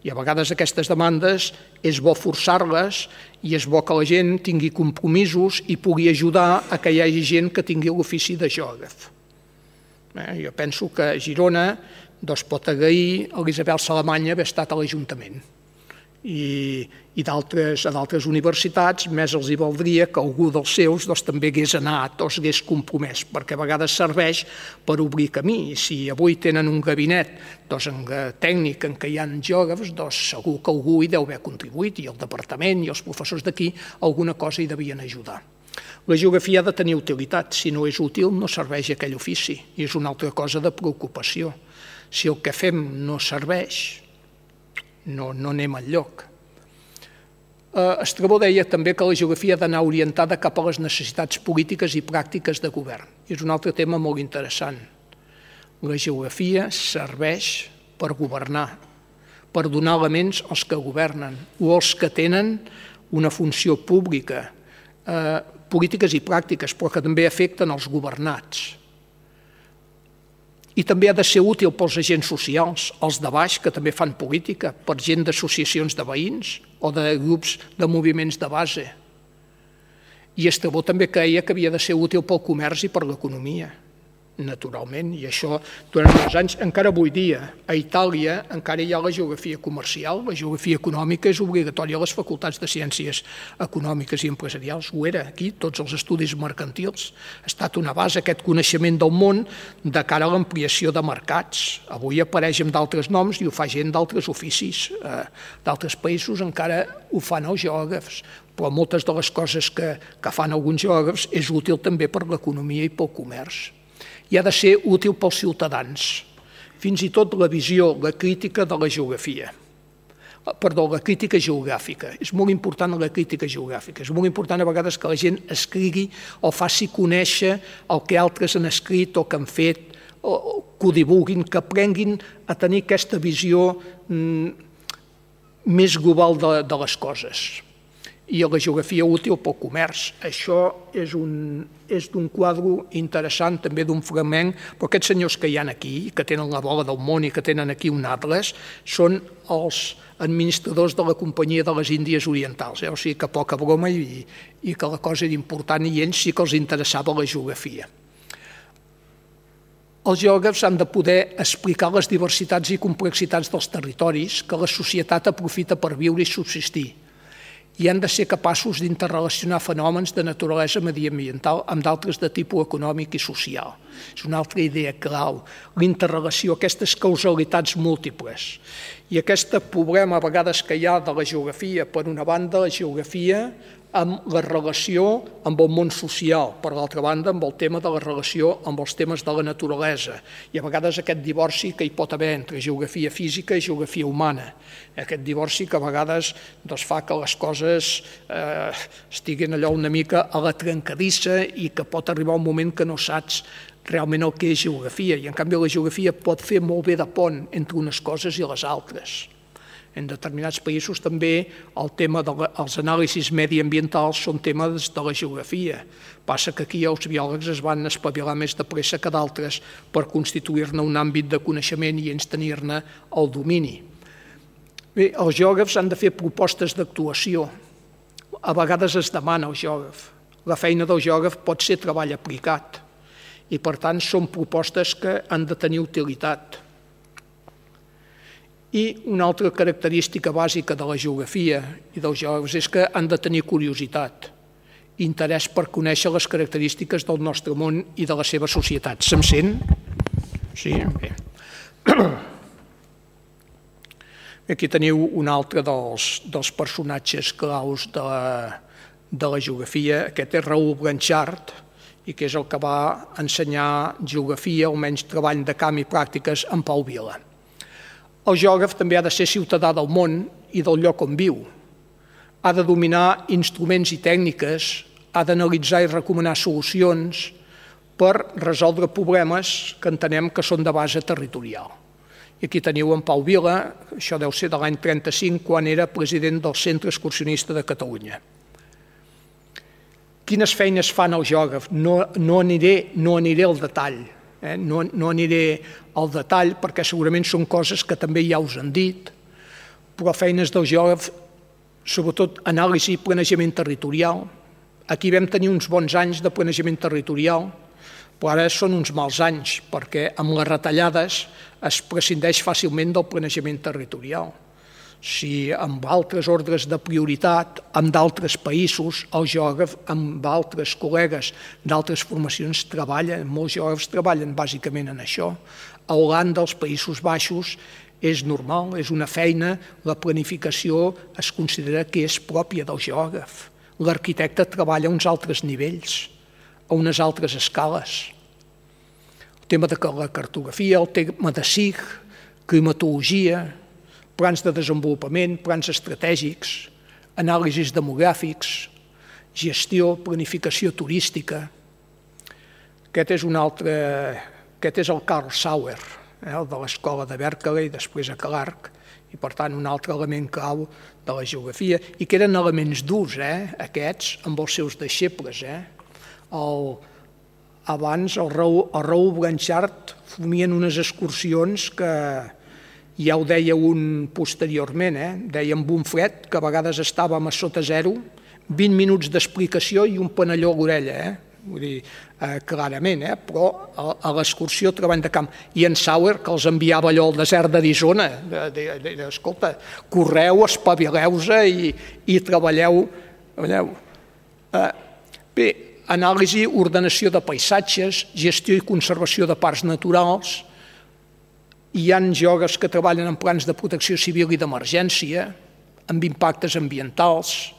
I a vegades aquestes demandes és bo forçar-les i és bo que la gent tingui compromisos i pugui ajudar a que hi hagi gent que tingui l'ofici de geògraf. Jo penso que a Girona pot agrair a l'Isabel Salamanya haver estat a l'Ajuntament. I a d'altres universitats més els hi valdria que algú dels seus també hagués anat o s'hagués compromès, perquè a vegades serveix per obrir camí. I si avui tenen un gabinet tècnic en què hi ha geògrafs, segur que algú hi deu haver contribuït, i el departament i els professors d'aquí alguna cosa hi devien ajudar. La geografia ha de tenir utilitat, si no és útil no serveix aquell ofici, i és una altra cosa de preocupació. Si el que fem no serveix, no anem enlloc. Estrabó deia també que la geografia ha d'anar orientada cap a les necessitats polítiques i pràctiques de govern. I és un altre tema molt interessant. La geografia serveix per governar, per donar elements als que governen o als que tenen una funció pública, polítiques i pràctiques, però que també afecten els governats. I també ha de ser útil pels agents socials, els de baix, que també fan política, per gent d'associacions de veïns o de grups de moviments de base. I Estrabó també creia que havia de ser útil pel comerç i per l'economia, naturalment, i això durant molts anys, encara avui dia, a Itàlia encara hi ha la geografia comercial, la geografia econòmica és obligatòria a les facultats de ciències econòmiques i empresarials, ho era aquí, tots els estudis mercantils, ha estat una base aquest coneixement del món de cara a l'ampliació de mercats. Avui apareix amb d'altres noms i ho fa gent d'altres oficis, d'altres països encara ho fan els geògrafs, però moltes de les coses que fan alguns geògrafs és útil també per l'economia i pel comerç. I ha de ser útil pels ciutadans, fins i tot la visió, la crítica de la geografia. Perdó, la crítica geogràfica. És molt important la crítica geogràfica. És molt important a vegades que la gent escrigui o faci conèixer el que altres han escrit o que han fet, o que ho divulguin, que aprenguin a tenir aquesta visió més global de les coses. I la geografia útil pel comerç. Això és d'un quadre interessant, també d'un fragment, però aquests senyors que hi ha aquí, que tenen la bola del món i que tenen aquí un atles, són els administradors de la Companyia de les Índies Orientals. O sigui que poca broma i que la cosa era important i ells sí que els interessava la geografia. Els geògrafs han de poder explicar les diversitats i complexitats dels territoris que la societat aprofita per viure i subsistir, i han de ser capaços d'interrelacionar fenòmens de naturalesa mediambiental amb d'altres de tipus econòmic i social. És una altra idea clau, l'interrelació, aquestes causalitats múltiples. I aquest problema a vegades que hi ha de la geografia, per una banda, la geografia amb la relació amb el món social, per l'altra banda, amb el tema de la relació amb els temes de la naturalesa, i a vegades aquest divorci que hi pot haver entre geografia física i geografia humana. Aquest divorci que a vegades fa que les coses estiguin allò una mica a la trencadissa i que pot arribar un moment que no saps realment el que és geografia, i en canvi la geografia pot fer molt bé de pont entre unes coses i les altres. En determinats països també el tema dels anàlisis mediambientals són temes de la geografia. Passa que aquí els biòlegs es van espavilar més de pressa que d'altres per constituir-ne un àmbit de coneixement i ells tenir-ne el domini. Bé, els geògrafs han de fer propostes d'actuació. a vegades es demana al geògraf. La feina del geògraf pot ser treball aplicat i, per tant, són propostes que han de tenir utilitat. I una altra característica bàsica de la geografia i dels geògrafs és que han de tenir curiositat, interès per conèixer les característiques del nostre món i de la seva societat. Se'm sent? Sí? Bé. Aquí teniu un altre dels personatges claus de la geografia. Aquest és Raül Blanchard, i que és el que va ensenyar geografia, almenys treball de camp i pràctiques, en Pau Vila. El geògraf també ha de ser ciutadà del món i del lloc on viu. Ha de dominar instruments i tècniques, ha d'analitzar i recomanar solucions per resoldre problemes que entenem que són de base territorial. I aquí teniu en Pau Vila, això deu ser de l'any 35, quan era president del Centre Excursionista de Catalunya. Quines feines fan el geògraf? No aniré al detall. No aniré al detall perquè segurament són coses que també ja us han dit, però feines del geògraf, sobretot anàlisi i planejament territorial. Aquí vam tenir uns bons anys de planejament territorial, però ara són uns mals anys perquè amb les retallades es prescindeix fàcilment del planejament territorial. Si amb altres ordres de prioritat, amb d'altres països, el geògraf amb altres col·legues d'altres formacions treballen, molts geògrafs treballen bàsicament en això. A Holanda, als Països Baixos, és normal, és una feina, la planificació es considera que és pròpia del geògraf. L'arquitecte treballa a uns altres nivells, a unes altres escales. El tema de la cartografia, el tema de SIG, climatologia, plans de desenvolupament, plans estratègics, anàlisis demogràfics, gestió, planificació turística. Aquest és el Karl Sauer, el de l'escola de Berkeley, després a Clark, i per tant un altre element clau de la geografia, i que eren elements durs, aquests, amb els seus deixebles. Abans el Raül Blanchard formien unes excursions que ja ho deia un posteriorment, deia en Bonfret que a vegades estàvem a sota zero, 20 minuts d'explicació i un panelló a l'orella, vull dir, clarament, però a l'excursió treball de camp. I en Sauer, que els enviava allò al desert d'Arizona, escolta, correu, espavileu-se i treballeu. Bé, anàlisi, ordenació de paisatges, gestió i conservació de parcs naturals. Hi ha geògrafs que treballen en plans de protecció civil i d'emergència, amb impactes ambientals,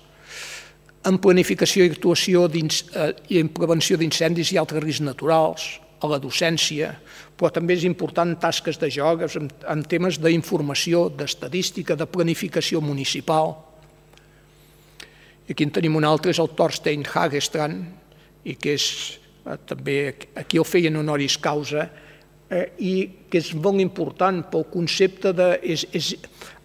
en planificació i actuació i en prevenció d'incendis i altres riscs naturals, a la docència, però també és important tasques de geògrafs en temes d'informació, d'estadística, de planificació municipal. Aquí en tenim un altre, és el Thorstein Hagestrand, i que és també, aquí el feien honoris causa, i que és molt important pel concepte de...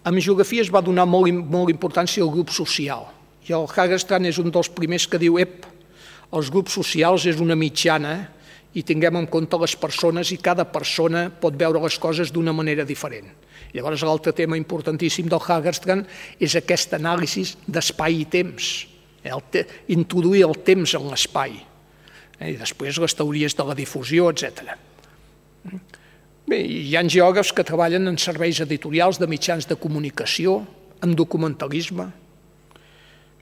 En geografia es va donar molt importància al grup social, i el Hagestrand és un dels primers que diu els grups socials és una mitjana i tinguem en compte les persones i cada persona pot veure les coses d'una manera diferent. Llavors l'altre tema importantíssim del Hagestrand és aquesta anàlisi d'espai i temps, introduir el temps en l'espai, i després les teories de la difusió, etc. Bé, hi ha geògrafs que treballen en serveis editorials de mitjans de comunicació, en documentalisme.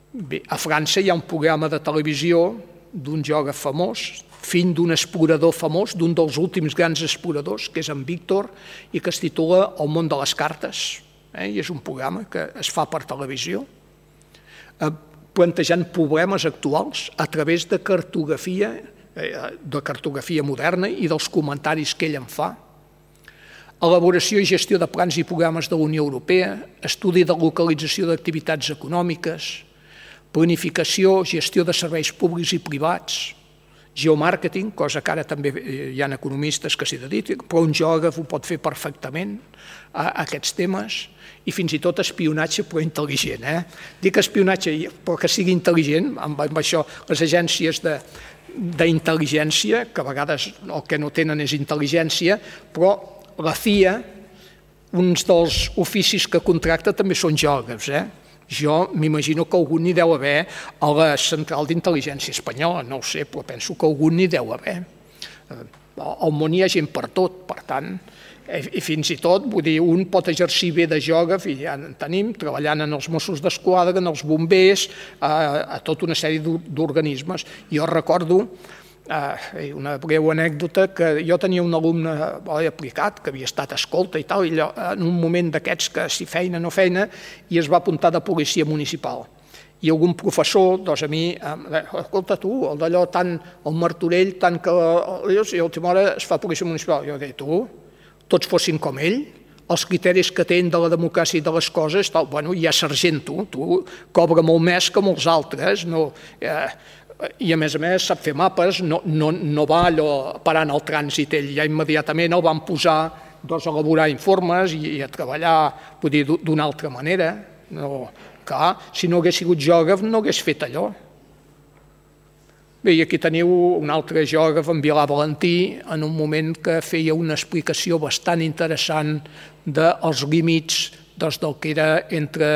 Bé, a França hi ha un programa de televisió d'un geògraf famós, fill d'un explorador famós, d'un dels últims grans exploradors, que és en Víctor, i que es titula El món de les cartes, i és un programa que es fa per televisió, plantejant problemes actuals a través de cartografia moderna i dels comentaris que ell en fa. Elaboració i gestió de plans i programes de la Unió Europea, estudi de localització d'activitats econòmiques, planificació, gestió de serveis públics i privats, geomàrqueting, cosa que ara també hi ha economistes que s'hi dediquen, però un geògraf ho pot fer perfectament, aquests temes, i fins i tot espionatge, però intel·ligent. Dic espionatge, però que sigui intel·ligent, amb això les agències d'intel·ligència, que a vegades el que no tenen és intel·ligència, però la CIA, uns dels oficis que contracta també són geògrafs, Jo m'imagino que algun n'hi deu haver a la Central d'Intel·ligència Espanyola, no ho sé, però penso que algun n'hi deu haver. Al món hi ha gent per tot, per tant, i fins i tot, vull dir, un pot exercir bé de geògraf, i ja en tenim, treballant en els Mossos d'Esquadra, en els bombers, a tota una sèrie d'organismes. Jo recordo una breu anècdota, que jo tenia un alumne aplicat, que havia estat escolta i tal, i en un moment d'aquests que si feina no feina, i es va apuntar de policia municipal. I algun professor, doncs a mi, escolta tu, el d'allò tant, el Martorell, tant que i a l'última hora es fa policia municipal. Jo deia, tu, tots fossin com ell, els criteris que tenen de la democràcia i de les coses, bueno, ja sergent tu cobra molt més que molts altres, i a més sap fer mapes, no va allò parant el trànsit, ell ja immediatament el van posar a elaborar informes i a treballar d'una altra manera. Clar, si no hagués sigut geògraf no hagués fet allò. Bé, i aquí teniu un altre geògraf, en Vilà Valentí, en un moment que feia una explicació bastant interessant dels límits del que era entre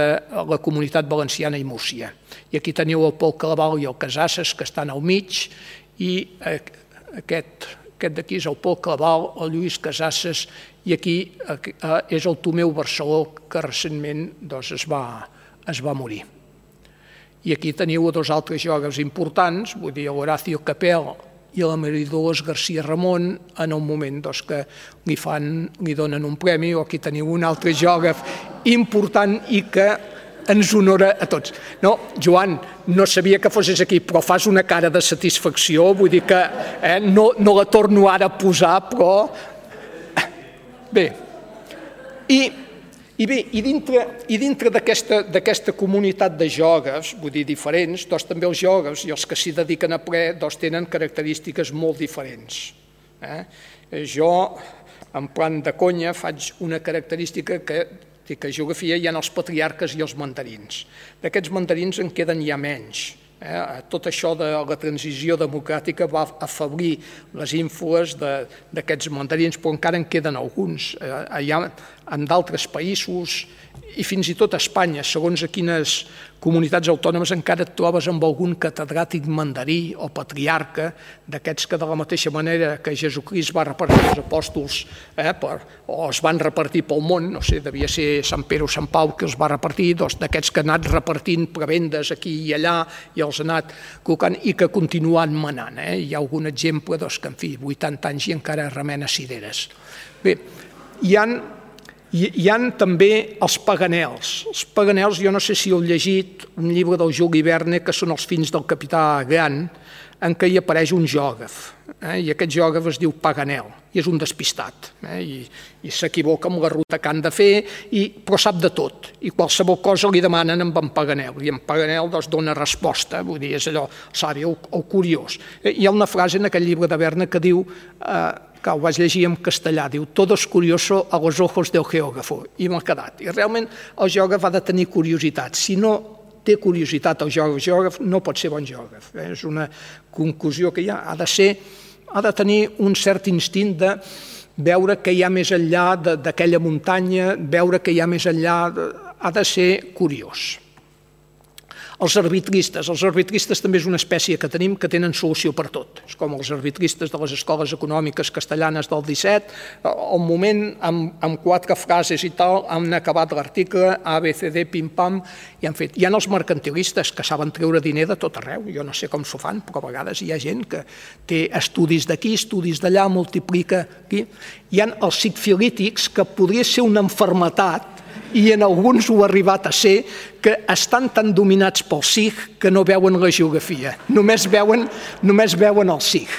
la Comunitat Valenciana i Múrcia. I aquí teniu el Pol Claval i el Casasses, que estan al mig, i aquest d'aquí és el Pol Claval, el Lluís Casasses, i aquí és el Tomeu Barceló, que recentment es va morir. I aquí teniu dos altres geògrafs importants, vull dir, l'Horacio Capel i la María-Dolors García Ramon, en un moment que li donen un premi, o aquí teniu un altre geògraf important i que ens honora a tots. No, Joan, no sabia que fossis aquí, però fas una cara de satisfacció, vull dir que no la torno ara a posar, però... Bé, i dintre d'aquesta comunitat de geògrafs, vull dir, diferents, també els geògrafs i els que s'hi dediquen a ple tenen característiques molt diferents. Jo, en plan de conya, faig una característica que a geografia hi ha els patriarques i els mandarins. D'aquests mandarins en queden ja menys. Tot això de la transició democràtica va afeblir les ínfules d'aquests mandarins, però encara en queden alguns. En d'altres països, i fins i tot a Espanya, segons a quines comunitats autònomes encara et trobes amb algun catedràtic mandarí o patriarca, d'aquests que de la mateixa manera que Jesucrist va repartir els apòstols o es van repartir pel món, no sé, devia ser Sant Pere o Sant Pau que els va repartir, d'aquests que han anat repartint prebendes aquí i allà i els ha anat col·locant i que continuen manant. Hi ha algun exemple que, en fi, 80 anys i encara remena cireres. Bé, hi ha també els paganels. Els paganels, jo no sé si heu llegit un llibre del Juli Verne, que són els fills del capità Grant, en què hi apareix un geògraf, i aquest geògraf es diu Paganel, i és un despistat, i s'equivoca amb la ruta que han de fer, però sap de tot, i qualsevol cosa li demanen amb en Paganel, i en Paganel dona resposta, vull dir, és allò savi, el curiós. Hi ha una frase en aquest llibre de Verne que diu, que ho vaig llegir en castellà, diu «Todo es curioso a los ojos del geógrafo», i m'ha quedat. I realment el geògraf ha de tenir curiositat. Si no té curiositat el geògraf, no pot ser bon geògraf. És una conclusió que hi ha. Ha de tenir un cert instint de veure què hi ha més enllà d'aquella muntanya, veure què hi ha més enllà, ha de ser curiós. Els arbitristes també és una espècie que tenim que tenen solució per tot. És com els arbitristes de les escoles econòmiques castellanes del 17, al moment, amb 4 frases i tal, han acabat l'article, A, B, C, D, pim-pam, i han fet. Hi ha els mercantilistes que saben treure diner de tot arreu, jo no sé com s'ho fan, però a vegades hi ha gent que té estudis d'aquí, estudis d'allà, multiplica aquí. Hi ha els sigfilítics, que podria ser una malaltia, i en alguns ho ha arribat a ser, que estan tan dominats pel sig que no veuen la geografia, només veuen el sig.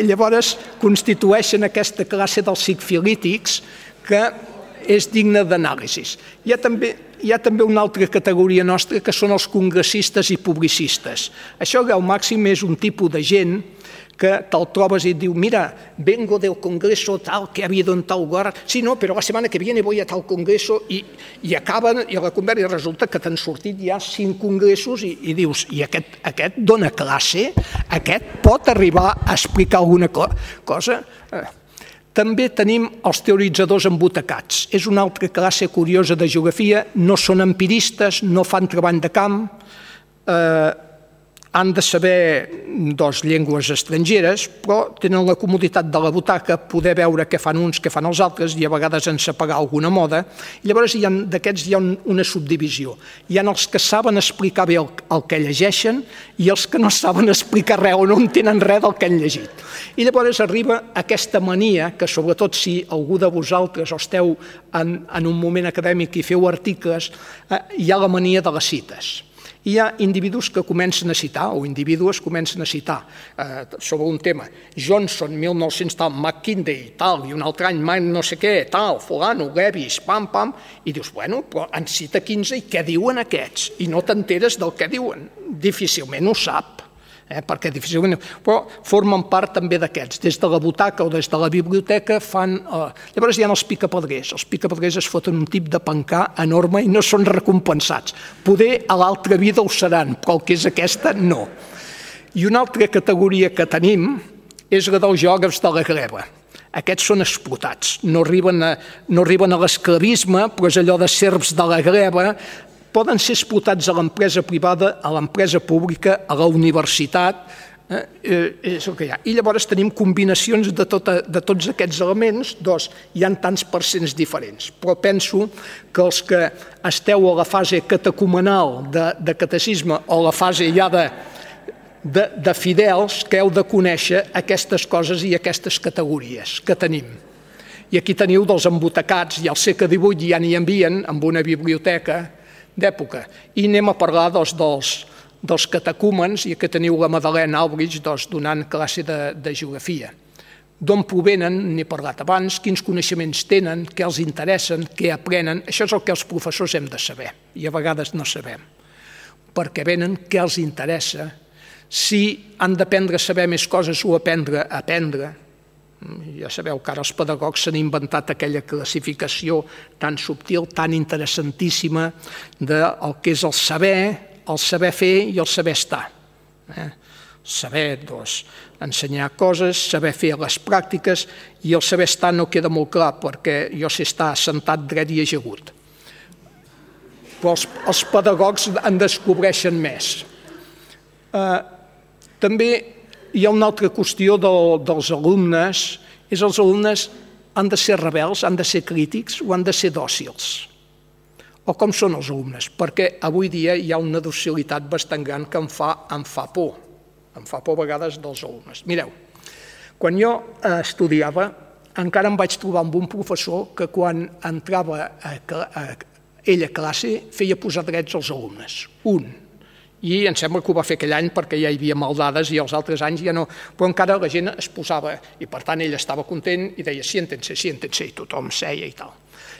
Llavors constitueixen aquesta classe dels sigfilítics que és digna d'anàlisi. Hi ha també una altra categoria nostra que són els congressistes i publicistes. Això al màxim és un tipus de gent que te'l trobes i et diu, mira, vengo del congreso tal que ha habido en tal lugar, sí, no, però la setmana que viene voy a tal congreso, i acaben, i a la conversa resulta que t'han sortit ja 5 congressos i dius, i aquest dona classe? Aquest pot arribar a explicar alguna cosa? També tenim els teoritzadors embutacats. És una altra classe curiosa de geografia, no són empiristes, no fan treball de camp, han de saber llengües estrangeres, però tenen la comoditat de la butaca, poder veure què fan uns, què fan els altres, i a vegades encepegar alguna moda. I llavors d'aquests hi ha una subdivisió. Hi ha els que saben explicar bé el que llegeixen i els que no saben explicar res o no entenen res del que han llegit. I llavors arriba aquesta mania, que sobretot si algú de vosaltres esteu en un moment acadèmic i feu articles, hi ha la mania de les cites. Hi ha individus que comencen a citar, o individuos comencen a citar sobre un tema. Johnson, 1900 tal, McKinsey, tal, i un altre any, no sé què, tal, fulano, Levis, pam, pam, i dius, bueno, però en cita 15 i què diuen aquests? I no t'enteres del que diuen. Difícilment ho sap. Perquè difícilment... Però formen part també d'aquests. Des de la butaca o des de la biblioteca fan... Llavors hi ha els picapedrers. Els picapedrers es foten un tip de pencar enorme i no són recompensats. Poder a l'altra vida ho seran, però el que és aquesta, no. I una altra categoria que tenim és la dels geògrafs de la gleba. Aquests són explotats. No arriben a l'esclavisme, però és allò de serfs de la gleba. Poden ser explotats a l'empresa privada, a l'empresa pública, a la universitat, és el que hi ha. I llavors tenim combinacions de tots aquests elements, hi ha tants percents diferents, però penso que els que esteu a la fase catecumenal de catecisme o a la fase ja de fidels, que heu de conèixer aquestes coses i aquestes categories que tenim. I aquí teniu dels embutacats, i al segle XVIII ja n'hi envien amb una biblioteca d'època. I anem a parlar dels catecúmens, i que teniu la Madeleine Albrich donant classe de geografia. D'on provenen, n'he parlat abans, quins coneixements tenen, què els interessen, què aprenen. Això és el que els professors hem de saber, i a vegades no sabem. Per què venen, què els interessa, si han d'aprendre a saber més coses o aprendre a aprendre. Ja sabeu que ara els pedagogs s'han inventat aquella classificació tan subtil, tan interessantíssima del que és el saber fer i el saber estar. Saber, ensenyar coses, saber fer les pràctiques, i el saber estar no queda molt clar, perquè jo sé estar assentat, dret i ajagut. Però els pedagogs en descobreixen més. També hi ha una altra qüestió dels alumnes, és els alumnes han de ser rebels, han de ser crítics o han de ser dòcils? O com són els alumnes? Perquè avui dia hi ha una docilitat bastant gran que em fa por. Em fa por a vegades dels alumnes. Mireu, quan jo estudiava encara em vaig trobar amb un professor que quan entrava ell a classe feia posar drets als alumnes. I em sembla que ho va fer aquell any perquè ja hi havia maldades i els altres anys ja no, però encara la gent es posava, i per tant ell estava content i deia siéntense, i tothom seia i tal.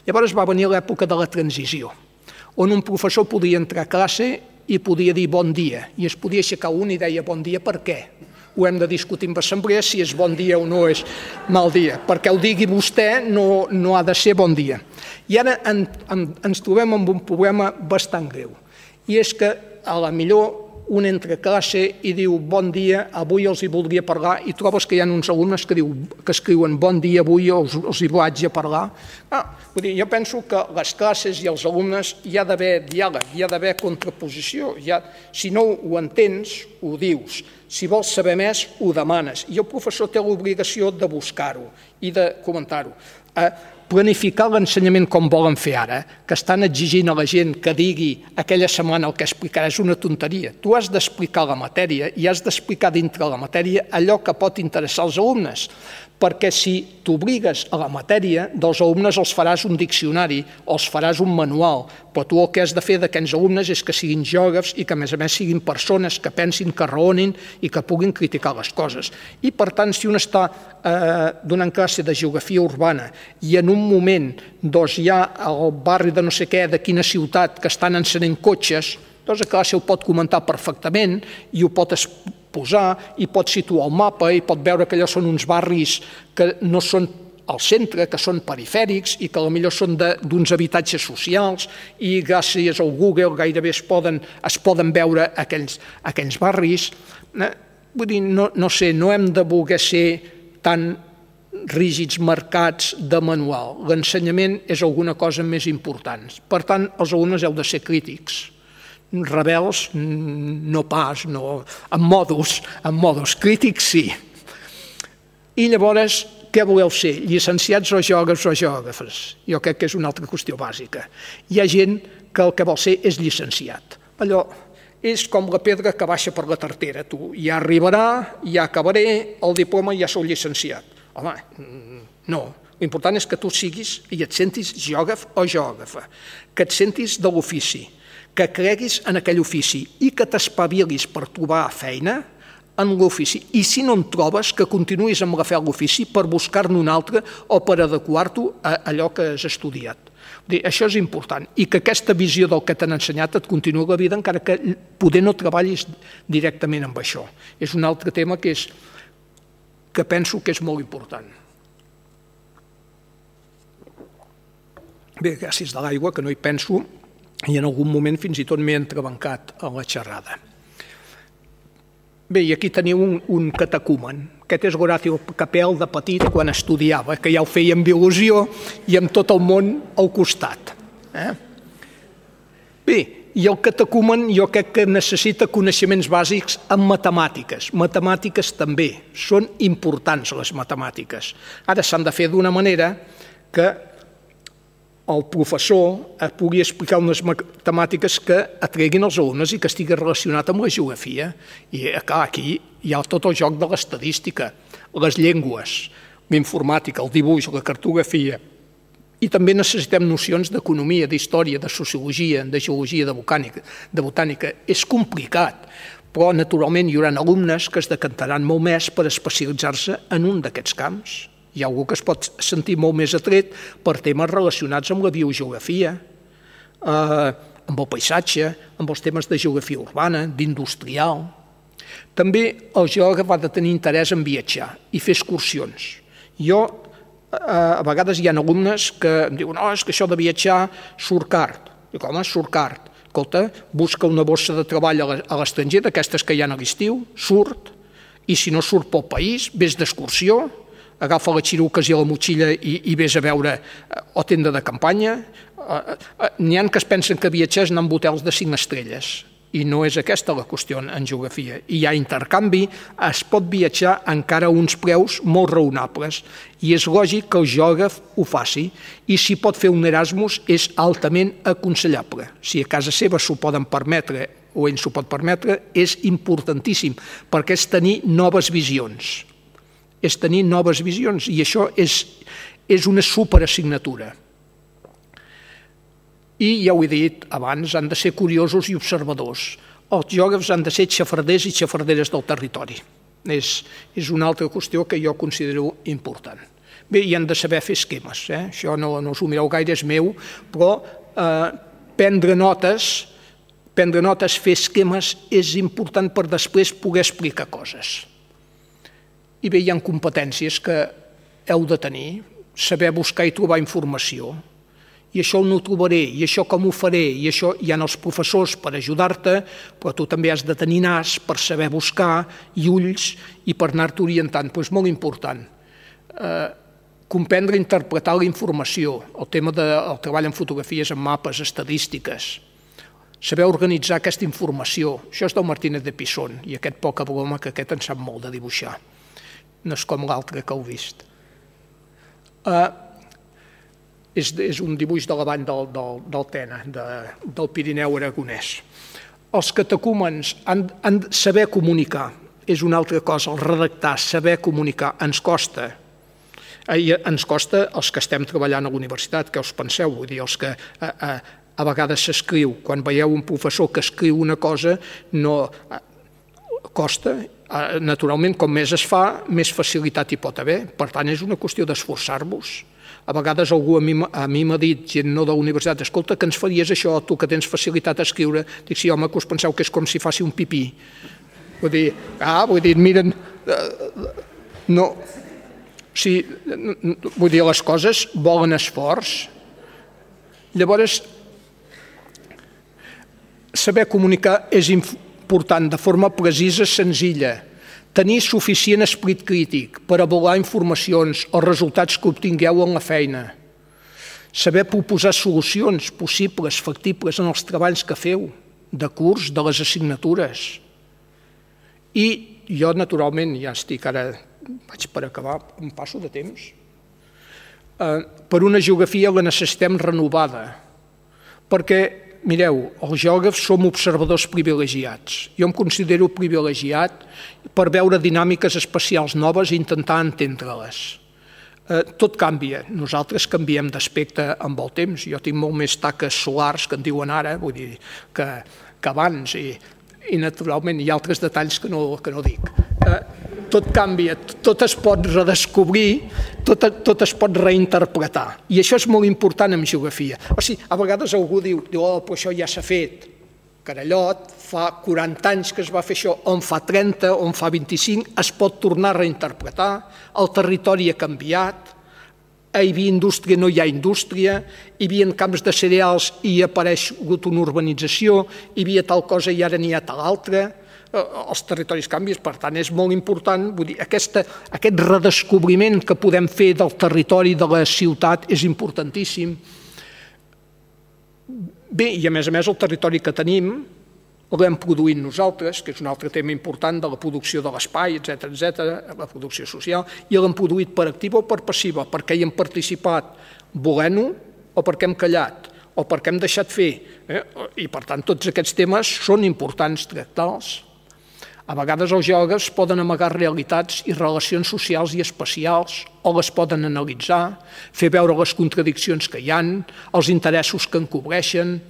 Llavors va venir l'època de la transició, on un professor podia entrar a classe i podia dir bon dia, i es podia aixecar un i deia bon dia per què? Ho hem de discutir en assemblea si és bon dia o no és mal dia, perquè ho digui vostè no ha de ser bon dia. I ara ens trobem amb un problema bastant greu, i és que a la millor un entra a classe i diu bon dia, avui els hi voldria parlar, i trobes que hi ha uns alumnes que escriuen bon dia, avui els hi vaig a parlar. Jo penso que les classes i els alumnes hi ha d'haver diàleg, hi ha d'haver contraposició. Si no ho entens, ho dius. Si vols saber més, ho demanes. I el professor té l'obligació de buscar-ho i de comentar-ho. Planificar l'ensenyament com volen fer ara, que estan exigint a la gent que digui aquella setmana el que explicarà, és una tonteria. Tu has d'explicar la matèria i has d'explicar dintre la matèria allò que pot interessar als alumnes, perquè si t'obligues a la matèria, dels alumnes els faràs un diccionari o els faràs un manual, però tu el que has de fer d'aquests alumnes és que siguin geògrafs i que a més siguin persones que pensin, que raonin i que puguin criticar les coses. I per tant, si un està donant classe de geografia urbana i en un moment hi ha al barri de no sé què, de quina ciutat, que estan encenent cotxes, doncs a classe ho pot comentar perfectament i ho pot posar i pot situar el mapa i pot veure que allò són uns barris que no són al centre, que són perifèrics i que potser són d'uns habitatges socials i gràcies al Google gairebé es poden veure aquells barris. Vull dir, no sé, no hem de voler ser tan rígids, marcats de manual. L'ensenyament és alguna cosa més important. Per tant, els alumnes heu de ser crítics. Rebels, no pas, no, en modos crítics sí. I llavors, què voleu ser? Llicenciats o geògrafs? Jo crec que és una altra qüestió bàsica. Hi ha gent que el que vol ser és llicenciat. Allò és com la pedra que baixa per la tartera. Tu ja arribarà, ja acabaré, el diploma ja sou llicenciat. Home, no. L'important és que tu siguis i et sentis geògraf o geògrafa, que et sentis de l'ofici, que creguis en aquell ofici i que t'espavilis per trobar feina en l'ofici. I si no en trobes, que continuïs amb la fe a l'ofici per buscar-ne un altre o per adequar-t'ho a allò que has estudiat. Això és important. I que aquesta visió del que t'han ensenyat et continuï la vida, encara que poder no treballis directament amb això. És un altre tema que penso que és molt important. Bé, gràcies de l'aigua, que no hi penso, i en algun moment fins i tot m'he entrebancat a la xerrada. Bé, i aquí teniu un catecúmen. Aquest és Horacio Capel de petit quan estudiava, que ja ho feia amb il·lusió i amb tot el món al costat. Bé, i el catecúmen jo crec que necessita coneixements bàsics en matemàtiques. Matemàtiques també. Són importants les matemàtiques. Ara s'han de fer d'una manera que el professor pugui explicar unes matemàtiques que atreguin els alumnes i que estigui relacionat amb la geografia. I clar, aquí hi ha tot el joc de l'estadística, les llengües, l'informàtica, el dibuix, la cartografia. I també necessitem nocions d'economia, d'història, de sociologia, de geologia, de botànica. És complicat, però naturalment hi haurà alumnes que es decantaran molt més per especialitzar-se en un d'aquests camps. Hi ha algú que es pot sentir molt més atret per temes relacionats amb la biogeografia, amb el paisatge, amb els temes de geografia urbana, d'industrial. També el geògraf ha de tenir interès en viatjar i fer excursions. A vegades hi ha alumnes que em diuen és que això de viatjar surt car. Dic, home, surt car. Escolta, busca una bossa de treball a l'estranger, d'aquestes que hi ha a l'estiu, surt, i si no surt pel país, vés d'excursió, agafa les xiruques i la motxilla i vés a veure o tenda de campanya. N'hi ha que es pensen que viatjar és anar amb hotels de 5 estrelles i no és aquesta la qüestió en geografia. I hi ha intercanvi, es pot viatjar encara a uns preus molt raonables i és lògic que el geògraf ho faci i si pot fer un Erasmus és altament aconsellable. Si a casa seva s'ho poden permetre o ell s'ho pot permetre, és importantíssim perquè és tenir noves visions. I això és una superassignatura. I ja ho he dit abans, han de ser curiosos i observadors. Els geògrafs han de ser xafarders i xafarderes del territori. És una altra qüestió que jo considero important. Bé, i han de saber fer esquemes. Això no us ho mireu gaire, és meu, però prendre notes, fer esquemes és important per després poder explicar coses. I bé, hi ha competències que heu de tenir, saber buscar i trobar informació. I això no ho trobaré, i això com ho faré, i això hi ha els professors per ajudar-te, però tu també has de tenir nas per saber buscar i ulls i per anar-te orientant. Però és molt important. Comprendre i interpretar la informació, el tema del treball en fotografies, en mapes, estadístiques, saber organitzar aquesta informació. Això és del Martínez de Pisón, i aquest poca broma que aquest en sap molt de dibuixar. No és com l'altre que heu vist. És un dibuix de la vall del Tena, del Pirineu aragonès. Els catecúmens han de saber comunicar, és una altra cosa, el redactar, saber comunicar, ens costa. Ens costa els que estem treballant a la universitat, què us penseu? Vull dir, els que a vegades s'escriu, quan veieu un professor que escriu una cosa, no costa. Naturalment, com més es fa, més facilitat hi pot haver. Per tant, és una qüestió d'esforçar-vos. A vegades algú a mi m'ha dit, gent no de la universitat, escolta, que ens faries això, tu que tens facilitat a escriure. Dic, sí, home, que us penseu que és com si faci un pipí. Vull dir, miren... No... Sí, vull dir, les coses volen esforç. Llavors, saber comunicar és important de forma precisa, senzilla. tenir suficient esperit crític per avaluar informacions o resultats que obtingueu en la feina, saber proposar solucions possibles, factibles en els treballs que feu, de curs, de les assignatures. I jo, naturalment, ja estic ara, vaig per acabar, em passo de temps, per una geografia la necessitem renovada, perquè, mireu, els geògrafs som observadors privilegiats. Jo em considero privilegiat per veure dinàmiques espacials noves i intentar entendre-les. Tot canvia, nosaltres canviem d'aspecte amb el temps. Jo tinc molt més taques solars que en diuen ara, vull dir, que abans, i naturalment hi ha altres detalls que no dic. Tot canvia, tot es pot redescobrir, tot es pot reinterpretar. I això és molt important en geografia. O sigui, a vegades algú diu, oh, però això ja s'ha fet. Carallot, fa 40 anys que es va fer això, on fa 30, on fa 25, es pot tornar a reinterpretar, el territori ha canviat, hi havia indústria, no hi ha indústria, hi havia camps de cereals i ha aparegut una urbanització, hi havia tal cosa i ara n'hi ha tal altra, els territoris canvien, per tant és molt important, vull dir, aquest redescobriment que podem fer del territori de la ciutat és importantíssim. Bé, i a més el territori que tenim l'hem produït nosaltres, que és un altre tema important de la producció de l'espai, etc., la producció social, i l'hem produït per activa o per passiva, perquè hi hem participat volent-ho o perquè hem callat, o perquè hem deixat fer. I per tant tots aquests temes són importants tractar-los. A vegades els geògrafs poden amagar realitats i relacions socials i espacials, o les poden analitzar, fer veure les contradiccions que hi ha, els interessos que encobreixen.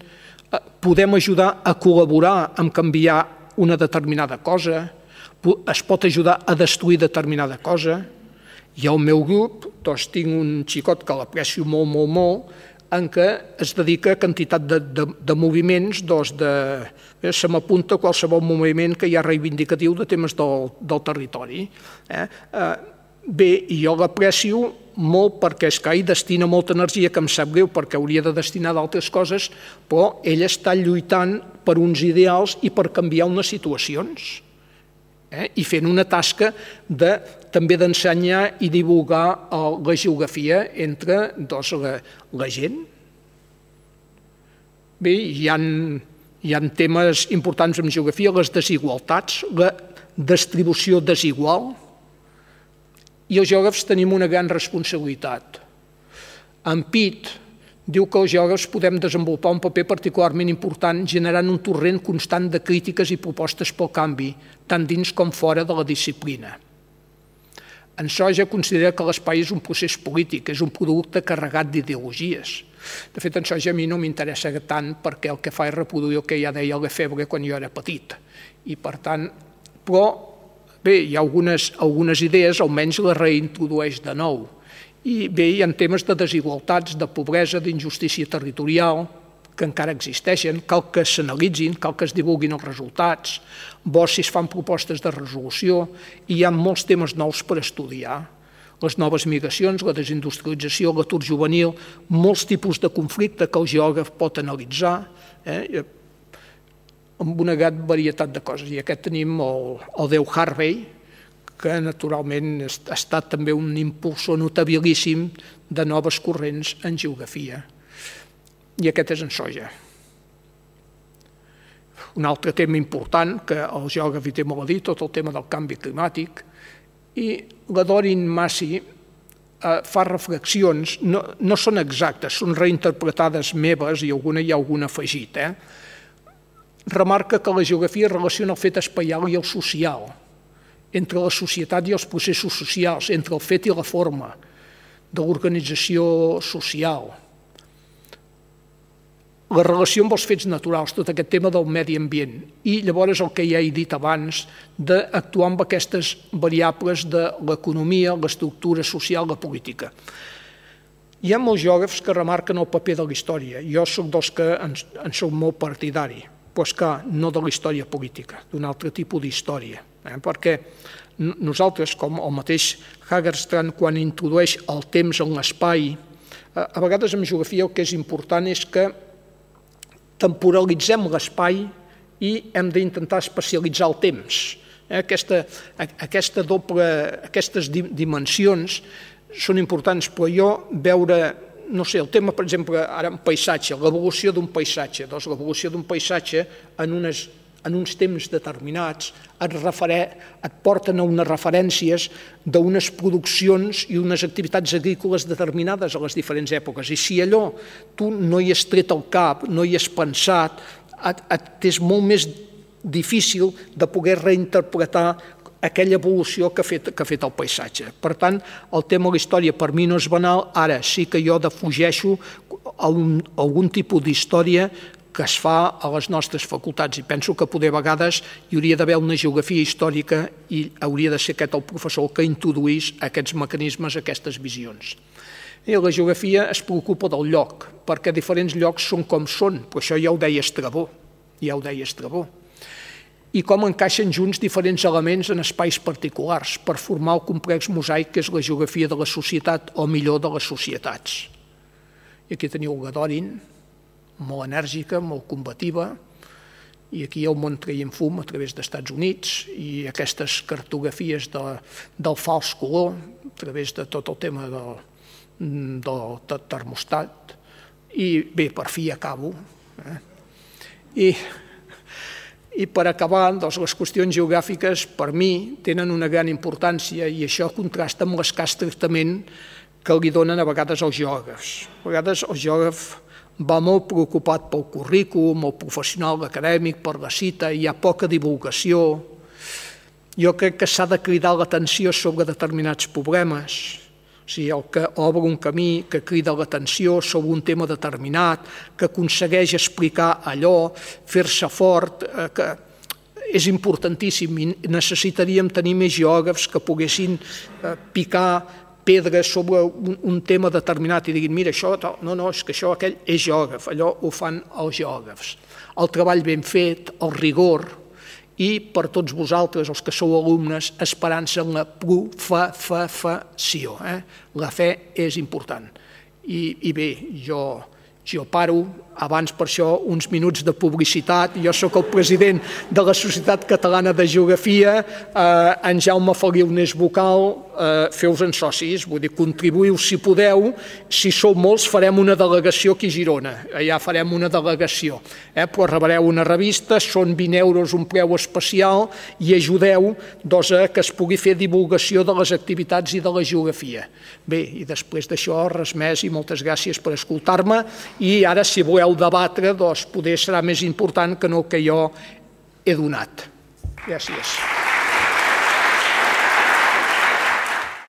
Podem ajudar a col·laborar en canviar una determinada cosa, es pot ajudar a destruir determinada cosa. I al meu grup tinc un xicot que l'aprecio molt, molt, molt, en què es dedica a quantitat de moviments, se m'apunta qualsevol moviment que hi ha reivindicatiu de temes del territori. Bé, i jo l'aprecio molt perquè és que hi destina molta energia, que em sap greu perquè hauria de destinar d'altres coses, però ell està lluitant per uns ideals i per canviar unes situacions. I fent una tasca també d'ensenyar i divulgar la geografia entre la gent. Bé, hi ha temes importants en geografia, les desigualtats, la distribució desigual, i els geògrafs tenim una gran responsabilitat. En Pitt diu que els geògrafs podem desenvolupar un paper particularment important generant un torrent constant de crítiques i propostes pel canvi, tant dins com fora de la disciplina. En Soja considera que l'espai és un procés polític, és un producte carregat d'ideologies. De fet, en Soja a mi no m'interessa tant perquè el que fa és reproduir el que ja deia Lefebvre quan jo era petit. I per tant, però bé, hi ha algunes idees, almenys les reintrodueix de nou. I bé, hi ha temes de desigualtats, de pobresa, d'injustícia territorial, que encara existeixen, cal que s'analitzin, cal que es divulguin els resultats, bo si es fan propostes de resolució, i hi ha molts temes nous per estudiar. Les noves migracions, la desindustrialització, l'atur juvenil, molts tipus de conflicte que el geògraf pot analitzar, amb una gran varietat de coses. I aquest tenim el Déu Harvey, que naturalment ha estat també un impulsor notabilíssim de noves corrents en geografia. I aquest és en Soja. Un altre tema important, que el geògraf hi té molt a dir, tot el tema del canvi climàtic, i la Doreen Massey fa reflexions, no són exactes, són reinterpretades meves i hi ha alguna afegit. Remarca que la geografia relaciona el fet espaial i el social, entre la societat i els processos socials, entre el fet i la forma de l'organització social, la relació amb els fets naturals, tot aquest tema del medi ambient, i llavors el que ja he dit abans, d'actuar amb aquestes variables de l'economia, l'estructura social, la política. Hi ha molts geògrafs que remarquen el paper de la història. Jo soc dels que en soc molt partidari, però és que no de la història política, d'un altre tipus d'història. Perquè nosaltres, com el mateix Hagerstrand, quan introdueix el temps en l'espai, a vegades en geografia el que és important és que temporalitzem l'espai i hem d'intentar especialitzar el temps. Aquestes dimensions són importants, però jo veure, no sé, el tema, per exemple, ara un paisatge, l'evolució d'un paisatge. Doncs l'evolució d'un paisatge en uns temps determinats et porten a unes referències d'unes produccions i unes activitats agrícoles determinades a les diferents èpoques. I si allò tu no hi has tret el cap, no hi has pensat, és molt més difícil de poder reinterpretar aquella evolució que ha fet el paisatge. Per tant, el tema de la història per mi no és banal, ara sí que jo defugeixo algun tipus d'història que es fa a les nostres facultats i penso que poder a vegades hi hauria d'haver una geografia històrica i hauria de ser aquest el professor que introduís aquests mecanismes, aquestes visions. I la geografia es preocupa del lloc, perquè diferents llocs són com són, però això ja ho deia Estrabó, i com encaixen junts diferents elements en espais particulars per formar el complex mosaic que és la geografia de la societat, o millor, de les societats. I aquí teniu la Dorin, molt enèrgica, molt combativa, i aquí el món traient fum a través dels Estats Units i aquestes cartografies del fals color a través de tot el tema del termostat. I bé, per fi acabo. I per acabar, les qüestions geogràfiques per mi tenen una gran importància i això contrasta amb l'escàs tractament que li donen a vegades als geògrafs. A vegades el geògraf va molt preocupat pel currículum, el professional acadèmic, per la cita, hi ha poca divulgació. Jo crec que s'ha de cridar l'atenció sobre determinats problemes, o sigui, el que obre un camí, que crida l'atenció sobre un tema determinat, que aconsegueix explicar allò, fer-se fort, que és importantíssim i necessitaríem tenir més geògrafs que poguessin picar pedres sobre un tema determinat i diguin, mira, això, no, és que això, aquell és geògraf, allò ho fan els geògrafs. El treball ben fet, el rigor, i per tots vosaltres, els que sou alumnes, esperança en la professació. La fe és important. I bé, jo paro, abans per això uns minuts de publicitat. Jo sóc el president de la Societat Catalana de Geografia, en Jaume Feliu n'és vocal, feu-vos-en socis, vull dir, contribuïu si podeu, si sou molts farem una delegació aquí a Girona, allà farem una delegació, però rebreu una revista, són 20 euros un preu especial i ajudeu a que es pugui fer divulgació de les activitats i de la geografia. Bé, i després d'això, res més i moltes gràcies per escoltar-me i ara si voleu debatre, doncs poder serà més important que no el que jo he donat. Gràcies.